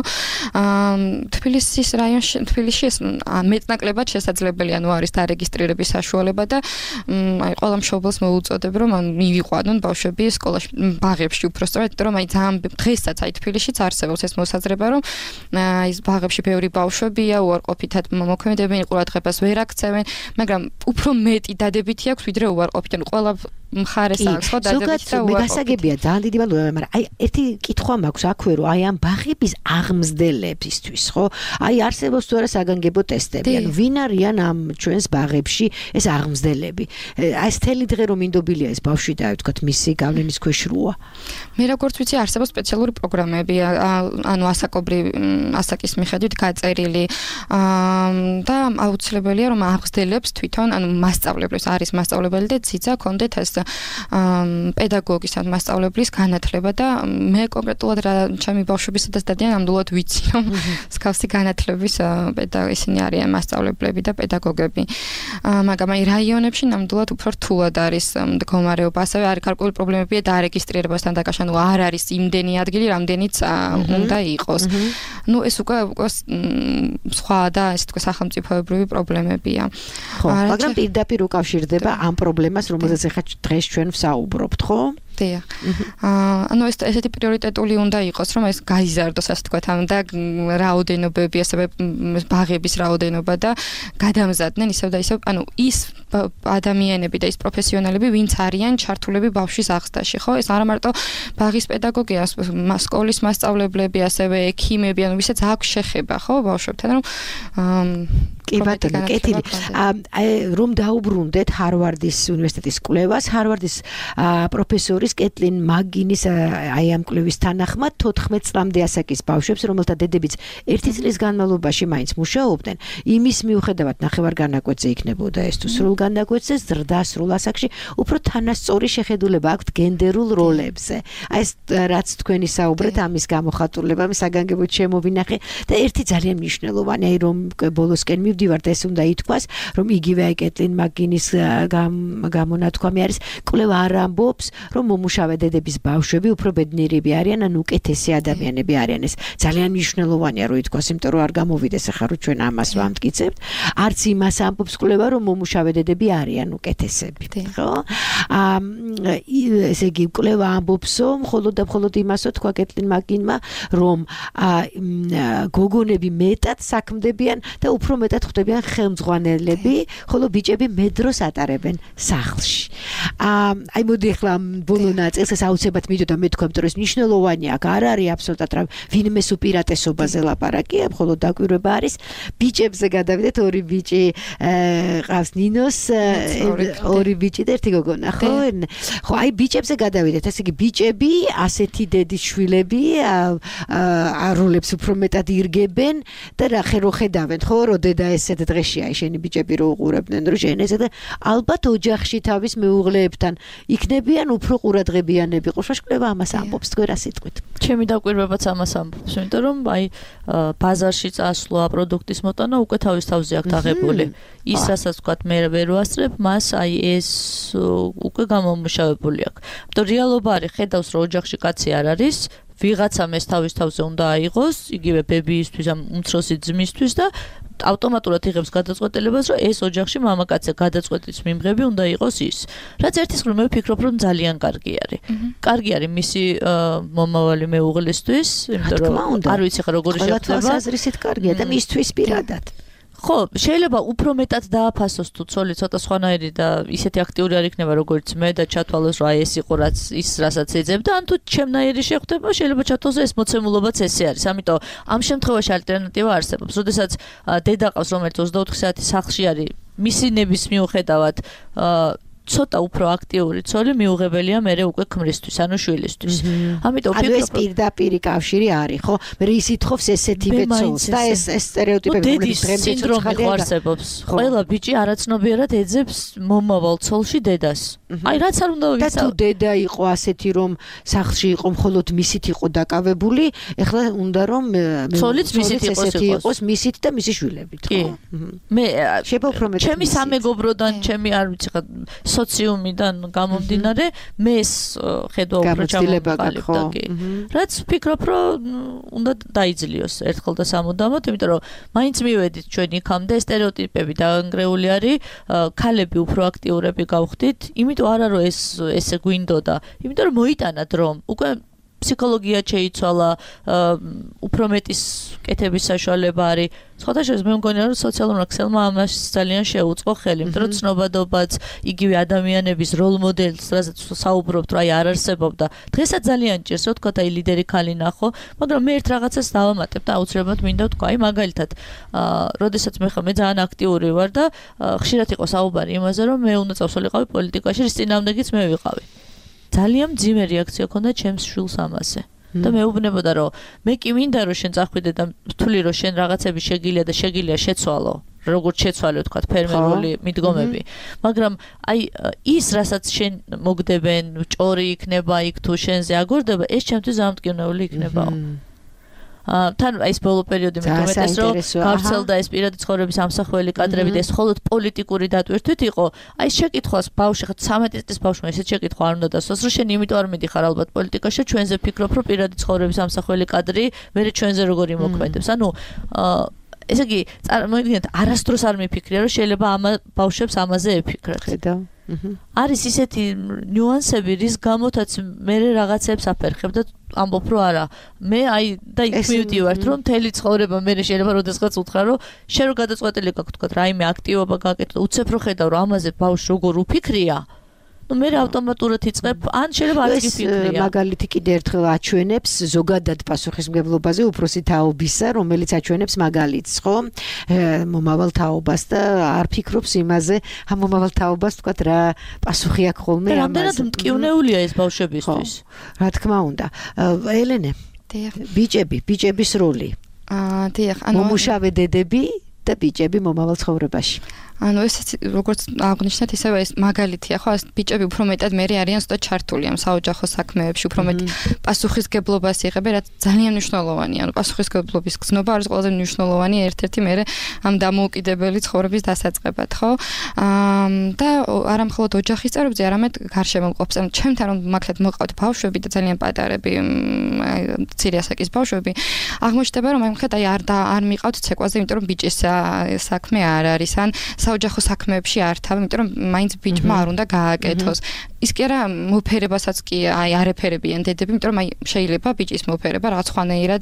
თბილისის რაიონში თბილისში ეს მეტნაკლებად შესაძლებელია ნუ არის დარეგისტრირების საშუალება და აი ყველა მშობელს მოუწოდებ რომ მივიყვანონ ბავშვები სკოლაში ბაღებში უпростоრად რომ აი ძალიან დღესაც აი თბილისშიც არსებობს ეს მოსაზრება რომ ის ბაღებში ბევრი ბავშვებია უარყოფითად მოქმედებენ ყურადღებას ვერ აქცევენ მაგრამ უფრო მეტი დადებითი აქვს ვიდრე უარყოფით ანუ ყველა მხარეს აქვს ხო დადებითი და უარყოფით გასაგებია ძალიან დიდი მადლობა მაგრამ აი ერთი კითხვა მაქვს აქვე რომ აი ამ ბაღების აღმზრდებისთვის ხო აი არსებობს თუ არა საგანგებო ტესტები ანუ ვინ არიან ამ ჩვენს ბაღებში ეს აღმზრდელები აი ეს თელი დღე რომ ინდობილია ეს ბავშვი და ვთქვათ მისი გავლენის ქვეშ როა მე როგორც ვიცი არსებობს სპეციალური პროგრამები ანუ ასაკის მიხედვით გაწერილი და აუცილებელია რომ აღმზრდელებს თვითონ ანუ მასწავლებლებს არის მასწავლებელი და ძიძა კონდეთ ეს პედაგოგის ან მასწავლებლის განათლება და მე კონკრეტულად რა ჩემი ბავშვებისა და დადიან ნამდვილად ვიცი რომ მსგავსი განათლების ისინი არიან მასწავლებლები და პედაგოგები მაგრამ აი რაიონებში ნამდვილად უფრო რთულად არის მდგომარეობა ასევე არის გარკვეული პრობლემებია დარეგისტრირებასთან დაკავშირებით ანუ არ არის იმდენი ადგილი რამდენიც უნდა იყოს ნუ ეს უკვე სხვა და ესე თქვა სახელმწიფოებრივი პრობლემებია ხო მაგრამ პირდაპირ უკავშირდება ამ პრობლემას რომელზეც ახლა დღეს ჩვენ ვსაუბრობთ, ხო? დიახ. ანუ ესეთი პრიორიტეტული უნდა იყოს, რომ ეს გაიზარდოს, ასე თქვათ, და რაოდენობები, ასევე ბაღების რაოდენობა და გადამზადდნენ ისევ და ისევ, ანუ ის ადამიანები და ის პროფესიონალები, ვინც არიან ჩართულები ბავშვის აღზრდაში, ხო? ეს არა მარტო ბაღის პედაგოგია, სკოლის მასწავლებლები, ასევე ექიმები, ანუ ვისაც აქვს შეხება, ხო, ბავშვებთან, რომ კი ბატონო, კეთილი. რომ დაუბრუნდეთ ჰარვარდის უნივერსიტეტის კვლევას, ჰარვარდის პროფესორის კეტლინ მაგინის აი ამ კვლევის თანახმად 14 წლამდე ასაკის ბავშვებს, რომელთა დედებიც 1 წლის განმავლობაში მაინც მუშაობდნენ, იმის მიუხედავად ნახევარგანაკვეთზე იქნებოდა ეს თუ სრულ განაკვეთზე, ზრდა სრულ ასაკში, უფრო თანასწორი შეხედულება აქვთ გენდერულ როლებზე. აი ეს რაც თქვენი საუბრეთ, ამის გამოხატულება საგანგებოდ შემოვინახე და ერთი ძალიან მნიშვნელოვანი, აი რომ ბოლოსკენ მივდივართ, ეს უნდა ითქვას, რომ იგივე აი კეტლინ მაგინის გამონათქვამი არის, კვლევა არ ამბობს, რომ მომუშავე დედების ბავშვები უფრო ბედნიერები არიან, ან უკეთესი ადამიანები არიან. ეს ძალიან მნიშვნელოვანია, რომ ითქვას, იმიტომ რომ არ გამოვიდეს ახლა რომ ჩვენ ამას ვამტკიცებთ. არც იმას ამბობს კვლევა, რომ მომუშავე დედები არიან უკეთესები, ხო? ესე იგი კვლევა ამბობსო, მხოლოდ და მხოლოდ იმასო თქვა კეტლინ მაგინმა, რომ გოგონები მეტად საქმდებიან და უფრო მეტად ხდებიან ხელმძღვანელები, ხოლო ბიჭები მეტ დროს ატარებენ სახლში. აი მოდი ახლა ბოლო ნაწილს ეს აუცილებლად მიდოდა მე თქვა, რომ ეს მნიშვნელოვანია, აქ არ არის აბსოლუტურად რა ვინმეს უპირატესობაზე ლაპარაკია, მხოლოდ დაკვირვება არის ბიჭებზე გადავიდეთ, ორი ბიჭი ყავს ნინოს, ორი ბიჭი და ერთი გოგონა, ხო? ხო, აი ბიჭებზე გადავიდეთ, ესე იგი ბიჭები, ასეთი დედის შვილები როლებს უფრო მეტად ირგებენ და რა ხედავენ, ხო, რომ დედა ესეთ დღეში აი შენი ბიჭები რო უყურებდნენ, რომ შენ ესე და ალბათ ოჯახში თავის მეუღლეებთან იქნებიან უფრო ყურადღებიანები. ყურშაშკვლევა ამას ამბობს, თქვენ რა სიტყვით? ჩემი დაკვირვებაც ამას ამბობს, იმიტომ რომ აი ბაზარში წასვლა, პროდუქტის მოტანა უკვე თავის თავზე აქვს აღებული. ის რასაც ვთქვათ, მე ვერ ვასწრებ, მას აი ეს უკვე გამომუშავებული აქვს. იმიტომ რეალობა არის, ხედავს რომ ოჯახში კაცი არ არის, ვიღაცამ ეს თავის თავზე უნდა აიღოს, იგივე ბებიისთვის, ამ უმცროსი ძმისთვის და ავტომატურად იღებს გადაწყვეტილებას, რომ ეს ოჯახში მამაკაცზე გადაწყვეტის მიმღები უნდა იყოს ის. რაც ერთის მხრივ მე ვფიქრობ, რომ ძალიან კარგი არის. კარგი არის მისი მომავალი მეუღლისთვის, იმიტომ რომ არ ვიცი ხა როგორი შეხვდება. ყველა თვალსაზრისით კარგია და მისთვის პირადად. ხო, შეიძლება უფრო მეტად დააფასოს თუ ცოლი ცოტა სხვანაირი და ისეთი აქტიური არ იქნება როგორც მე და ჩათვალოს რომ აი ეს იყო რაც ის რასაც ეძებდა, ან თუ ჩემნაირი შეხვდება, შეიძლება ჩათვალოს ეს მოცემულობაც ესე არის. ამიტომ ამ შემთხვევაში ალტერნატივა არსებობს. როდესაც დედა ყავს, რომელიც 24 საათი სახლში არის, მისი ნების მიუხედავად ცოტა უფრო აქტიური ცოლი მიუღებელია მე უკვე ქმრისთვის, ანუ შვილისთვის. ამიტომ ანუ ეს პირდაპირი კავშირი არის, ხო? მე ის ითხოვს ესეთივე ცოლს და ეს სტერეოტიპები რომლებიც დღემდე სინდრომი ხარსებობს. ყველა ბიჭი არაცნობიერად ეძებს მომავალ ცოლში დედას. აი რაც არ უნდა ვიცავ. და თუ დედა იყო ასეთი, რომ სახლში იყო მხოლოდ მისით იყო დაკავებული, ეხლა უნდა რომ ცოლიც მისით იყოს მისით და მისი შვილებით, ხო? მე შეიძლება უფრო მეტად ჩემი სამეგობროდან, ჩემი არ ვიცი ხა სოციუმიდან გამომდინარე, მე ეს ხედვა უფრო ჩამოვყალიბდა კი. რაც ვფიქრობ, რომ უნდა დაიძლიოს ერთხელ და სამუდამოდ, იმიტომ რომ მაინც მივედით ჩვენ იქამდე, სტერეოტიპები დაანგრეული არის, ქალები უფრო აქტიურები გავხდით, იმიტომ არა რომ ესე გვინდოდა, იმიტომ რომ მოიტანა დრო, უკვე ფსიქოლოგია შეიცვალა, უფრო მეტის კეთების საშუალება არის. სხვათა შორის მე მგონია რომ სოციალურ აქსელმა ამას ძალიან შეუწყო ხელი, იმიტომ რომ ცნობადობაც, იგივე ადამიანების როლ მოდელს, რასაც საუბრობთ, რომ აი არ არსებობდა. დღესაც ძალიან ჭირს, რომ თქვა აი ლიდერი ქალი ნახო, მაგრამ მე ერთ რაღაცას დავამატებ და აუცილებლად მინდა ვთქვა, აი მაგალითად, როდესაც მე ძალიან აქტიური ვარ და ხშირად იყო საუბარი იმაზე, რომ მე უნდა წავსულიყავი პოლიტიკაში, რის წინააღმდეგიც მე ვიყავი. ძალიან მძიმე რეაქცია ჰქონდა ჩემს შვილს ამაზე. და მეუბნებოდა რომ მე კი მინდა რომ შენ წახვიდე და ვთვლი რომ შენ რაღაცები შეგიძლია და შეგიძლია შეცვალო, როგორც შეცვალე ვთქვათ ფერმერული მიდგომები. მაგრამ აი ის რასაც შენ მოგდებენ, ჭორი იქნება იქ თუ შენზე აგორდება, ეს ჩემთვის დამტკივნეული იქნებაო. თან ეს ბოლო პერიოდი მე თვითონ რომ გავრცელდა ეს პირადი ცხოვრების ამსახველი კადრები და ეს მხოლოდ პოლიტიკური დატვირთვით იყო. აი შეკითხვას ბავშვი ხა 13 წლის ბავშვმა ესეთ შეკითხვა არ უნდა დასვას, რომ შენ იმიტომ არ მიდიხარ ალბათ პოლიტიკაში, ჩვენზე ფიქრობ, რომ პირადი ცხოვრების ამსახველი კადრი მე ჩვენზე როგორ იმოქმედებს. ანუ ესე იგი, წარმოიდგინეთ, არასდროს არ მიფიქრია, რომ შეიძლება ამ ბავშვებს ამაზე ეფიქრათ. ხედავ. არის ისეთი ნიუანსები, რის გამოთაც მე რაღაცებს აფერხებ და ამბობ რომ არა, მე და იქ მივდივართ რომ მთელი ცხოვრება მე შეიძლება როდესღაც უთხრა რომ შენ რო გადაწყვეტილი გაქვს თქვა რაიმე აქტივობა გაკეთო, უცებ რო ხედავ რომ ამაზე ბავშვი როგორ უფიქრია, მე ავტომატურად იწყებ, ან შეიძლება არ გიფიქრია. მაგალითი კიდე ერთხელ აჩვენებს ზოგადად პასუხისმგებლობაზე უფროსი თაობისა, რომელიც აჩვენებს მაგალითს, ხო? მომავალ თაობას და არ ფიქრობს იმაზე, მომავალ თაობას თქვათ რა პასუხი აქვს ხოლმე ამაზე. რამდენად მტკივნეულია ეს ბავშვებისთვის? რა თქმა უნდა. ელენე, ბიჭების როლი. დიახ, მომუშავე დედები და ბიჭები მომავალ ცხოვრებაში. ეს როგორც აღნიშნეთ, ისევე ეს მაგალითია, ხო, ბიჭები უფრო მეტად მე არიან ზუსტად ჩართული ამ საოჯახო საქმეებში, უფრო მეტ პასუხისგებლობას იღებენ, რაც ძალიან მნიშვნელოვანია. პასუხისგებლობის გზნობა არის ყველაზე მნიშვნელოვანი ერთ-ერთი მე ამ დამოუკიდებელი ცხოვრების დასაწყებად, ხო? და არა მხოლოდ ოჯახის წევრებზე, არამედ გარშემო მყოფს. ჩემთან რომ მაგალითად მოყავთ ბავშვები და ძალიან პატარები, მცირე ასაკის ბავშვები, აღმოჩნდება რომ არ მიყავთ ცეკვაზე, იმიტომ რომ ბიჭის საქმე არ არის, ან საოჯახო საქმეებში არ თავ, იმიტომ რომ მაინც ბიჭმა არ უნდა გააკეთოს. ის კი არა მოფერებასაც კი არ ეფერებიან დედები, იმიტომ რომ შეიძლება ბიჭის მოფერება რაღაც ხვანაირად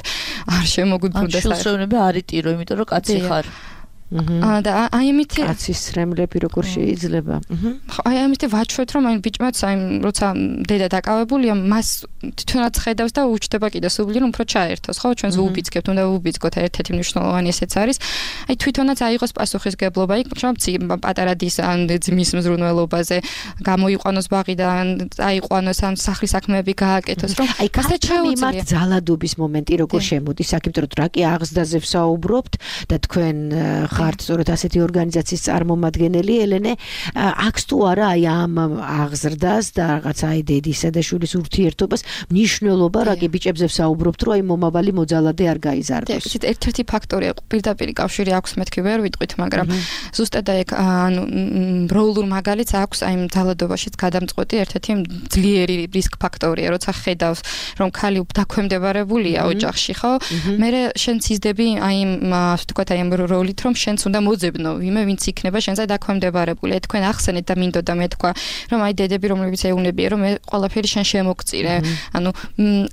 არ შემოგვიბრუნდეს. შულსევნები არ იტირო, იმიტომ რომ კაცი ხარ. და აი ამითი კაცის სრემლები როგორ შეიძლება. აი ამითი ვაჩვევთ რომ აი ბიჭმაც აი როცა დედა დაკავებულია, მას თვითონაც ხედავს და უჩდება კიდე სულიერ უფრო ჩაერთოს, ხო? ჩვენს უბიძგებთ, უნდა უბიძგოთ, ერთ-ერთი მნიშვნელოვანი ესეც არის. აი თვითონაც აიღოს პასუხისგებლობა, იქ რომ პატარა დის ან ძმის მზრუნველობაზე გამოიყვანოს ბაღიდან, აიყვანოს ან სახლის საქმეები გააკეთოს, რომ აი ქართული იმათ ძალადობის მომენტი როგორ შემოდის, საკითხი რომ რა კი აღზრდაზე ვსაუბრობთ და თქვენ ხართ სწორედ ასეთი ორგანიზაციის წარმომადგენელი ელენე, აქვს თუ არა აი ამ აღზრდას და რაღაც აი დედისა და შვილის ურთიერთობას მნიშვნელობა, რა კი ბიჭებზე ვსაუბრობთ, რომ აი მომავალი მოძალადე არ გაიზარდოს. ეს ერთ-ერთი ფაქტორია, პირდაპირ კავშირი აქვს, მეთქი ვერ ვიტყვით, მაგრამ ზუსტად აი ანუ როლურ მაგალითს აქვს აი ძალადობაშიც გადამწყვეტი ერთ-ერთი ძლიერი რისკ ფაქტორია, როცა ხედავს, რომ ქალი დაქვემდებარებულია ოჯახში, ხო? მე შენ ციზდები აი ასე ვთქვათ აი ამ როლით, რომ შენც უნდა მოძებნო ვინმე, ვინც იქნება შენზე დაქვემდებარებული. თქვენ ახსენეთ და მინდოდა მე თქვა, რომ აი დედები, რომლებიც ეუნებიან, რომ მე ყველაფერი შენ შემოგწირე. ანუ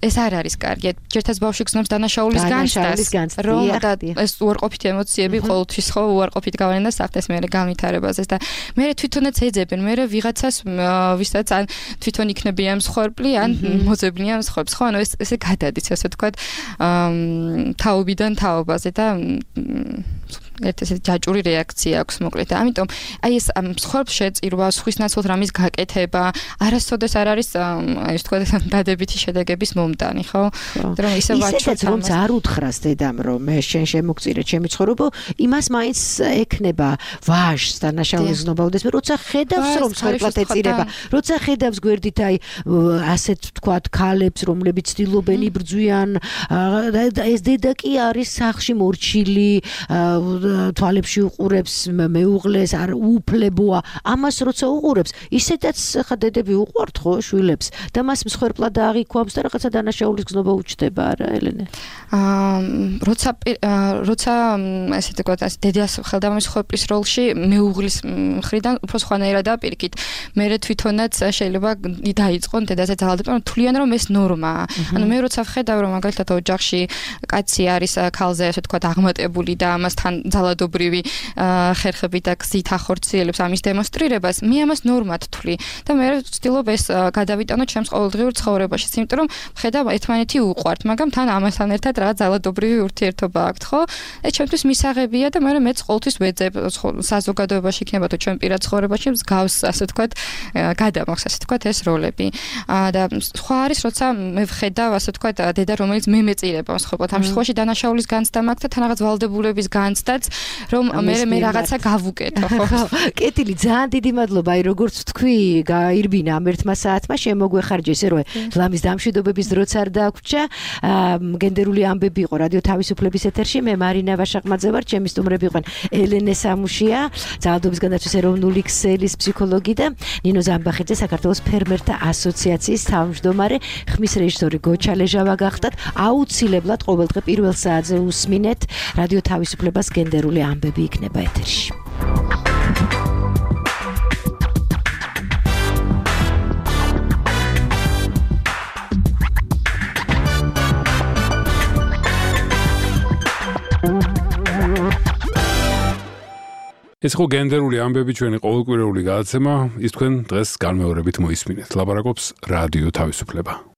ეს არ არის კარგი. ჯერაც ბავშვი გზნობს დანაშაულის განცდას, რომ ეს უარყოფითი ემოციები ყოველთვის ხო უარყოფით გავლენა სახდეს მე განვითარებაზე და მე თვითონაც ეძებენ, მე ვიღაცას ვისაც ან თვითონ იქნებიან მსხვერპლი, ან მოძებნიან მსხვერპლს, ხო? ანუ ესე გადადის, ასე ვთქვათ, თაობიდან თაობაზე და ერთ-ერთი ჯაჭვური რეაქცია აქვს მოკლედ. ამიტომ აი ეს მსხვერპლს შეწირვა, სხვის ნაცვლად რამის გაკეთება, არასოდეს არ არის აი ეს თქვა დადებითი შედეგების მომტანი, ხო? რომ ისე ვაჩვენოთ, რომ არ უთხრას დედამ, რომ მე შენ შემოგწირე ჩემი ცხოვრება, იმას მაინც ექნება ვაჟს დანაშაულის ზნობაუდეს, როცა ხედავს რომ მსხვერპლად ეწირება, როცა ხედავს გვერდით აი ასეთ თქვა ქალებს, რომლებიც ცდილობენ იბრძვიან, ეს დედა კი არის სახლში მორჩილი, თვალებში უყურებს მეუღლეს, არ უფლებოა. ამას როცა უყურებს, ისედაც ხა დედები უყვართ ხო შვილებს და მას მსხვერპლად აღიქვამს და რაღაცა დანაშაულის გზნობა უჩდება არა ელენე? როცა ესე თქვა დედას ხელდამის მსხვერპლის როლში მეუღლის მხრიდან უფრო სხვანაირადაა პირიქით. მე თვითონაც შეიძლება დაიწყონ დედაზე ძალადობა, თვლიან რომ ეს ნორმაა. ანუ მე როცა ვხედავ რომ მაგალითად ოჯახში კაცი არის ქალზე ასე თქვა აღმატებული და ამასთან ძალადობრივი ხერხები და გზით ახორციელებს ამის დემონსტრირებას, მე ამას ნორმად ვთვლი და მე ვცდილობ ეს გადავიტანო ჩემს ყოველდღიურ ცხოვრებაში, იმიტომ რომ ხედავ ერთმანეთი უყვართ, მაგრამ თან ამასთან ერთად რაღაც ძალადობრივი ურთიერთობა აქვს, ხო? ეს ჩემთვის მისაღებია და მე მეც ყოველთვის ვეძებ საზოგადოებაში იქნება თუ ჩვენ პირად ცხოვრებაში მსგავს ასე ვთქვათ გადამახს ასე ვთქვათ ეს როლები. და სხვა არის როცა მე ვხედავ ასე ვთქვათ დედა რომელიც მე მეწირება მსხვერპლად, ამ შემთხვევაში დანაშაულის განცდა მაქვს და თან რაღაც ვალდებულების განცდაც რომ მე რაღაცა გავუკეთო, ხო? კეთილი, ძალიან დიდი მადლობა. აი როგორც თქვი, გაირბინა ამ ერთმა საათმა, შემოგვეხარჯა ისე რომ ლამის დამშვიდობების დროც არ დაგვჭა. გენდერული ამბები იყო რადიო თავისუფლების ეთერში. მე მარინა ვაშაყმაძე ვარ, ჩემი სტუმრები იყვნენ ელენე სამუშია, ძალადობის განაცვის ეროვნული ქსელის ფსიქოლოგი და ნინო ზამბახიძე, საქართველოს ფერმერთა ასოციაციის თავმჯდომარე. ხმის რეჟისორი გოჩა ლეჟავა გახდათ. აუცილებლად ყოველდღე პირველ საათზე უსმინეთ რადიო თავისუფლებას გენდერული ამბები იქნება ეთერში. ეს ხო გენდერული ამბები ჩვენი ყოველკვირეული გადაცემა, ის თქვენ დღეს განმეორებით მოისმინეთ. ლაპარაკობს რადიო თავისუფლება.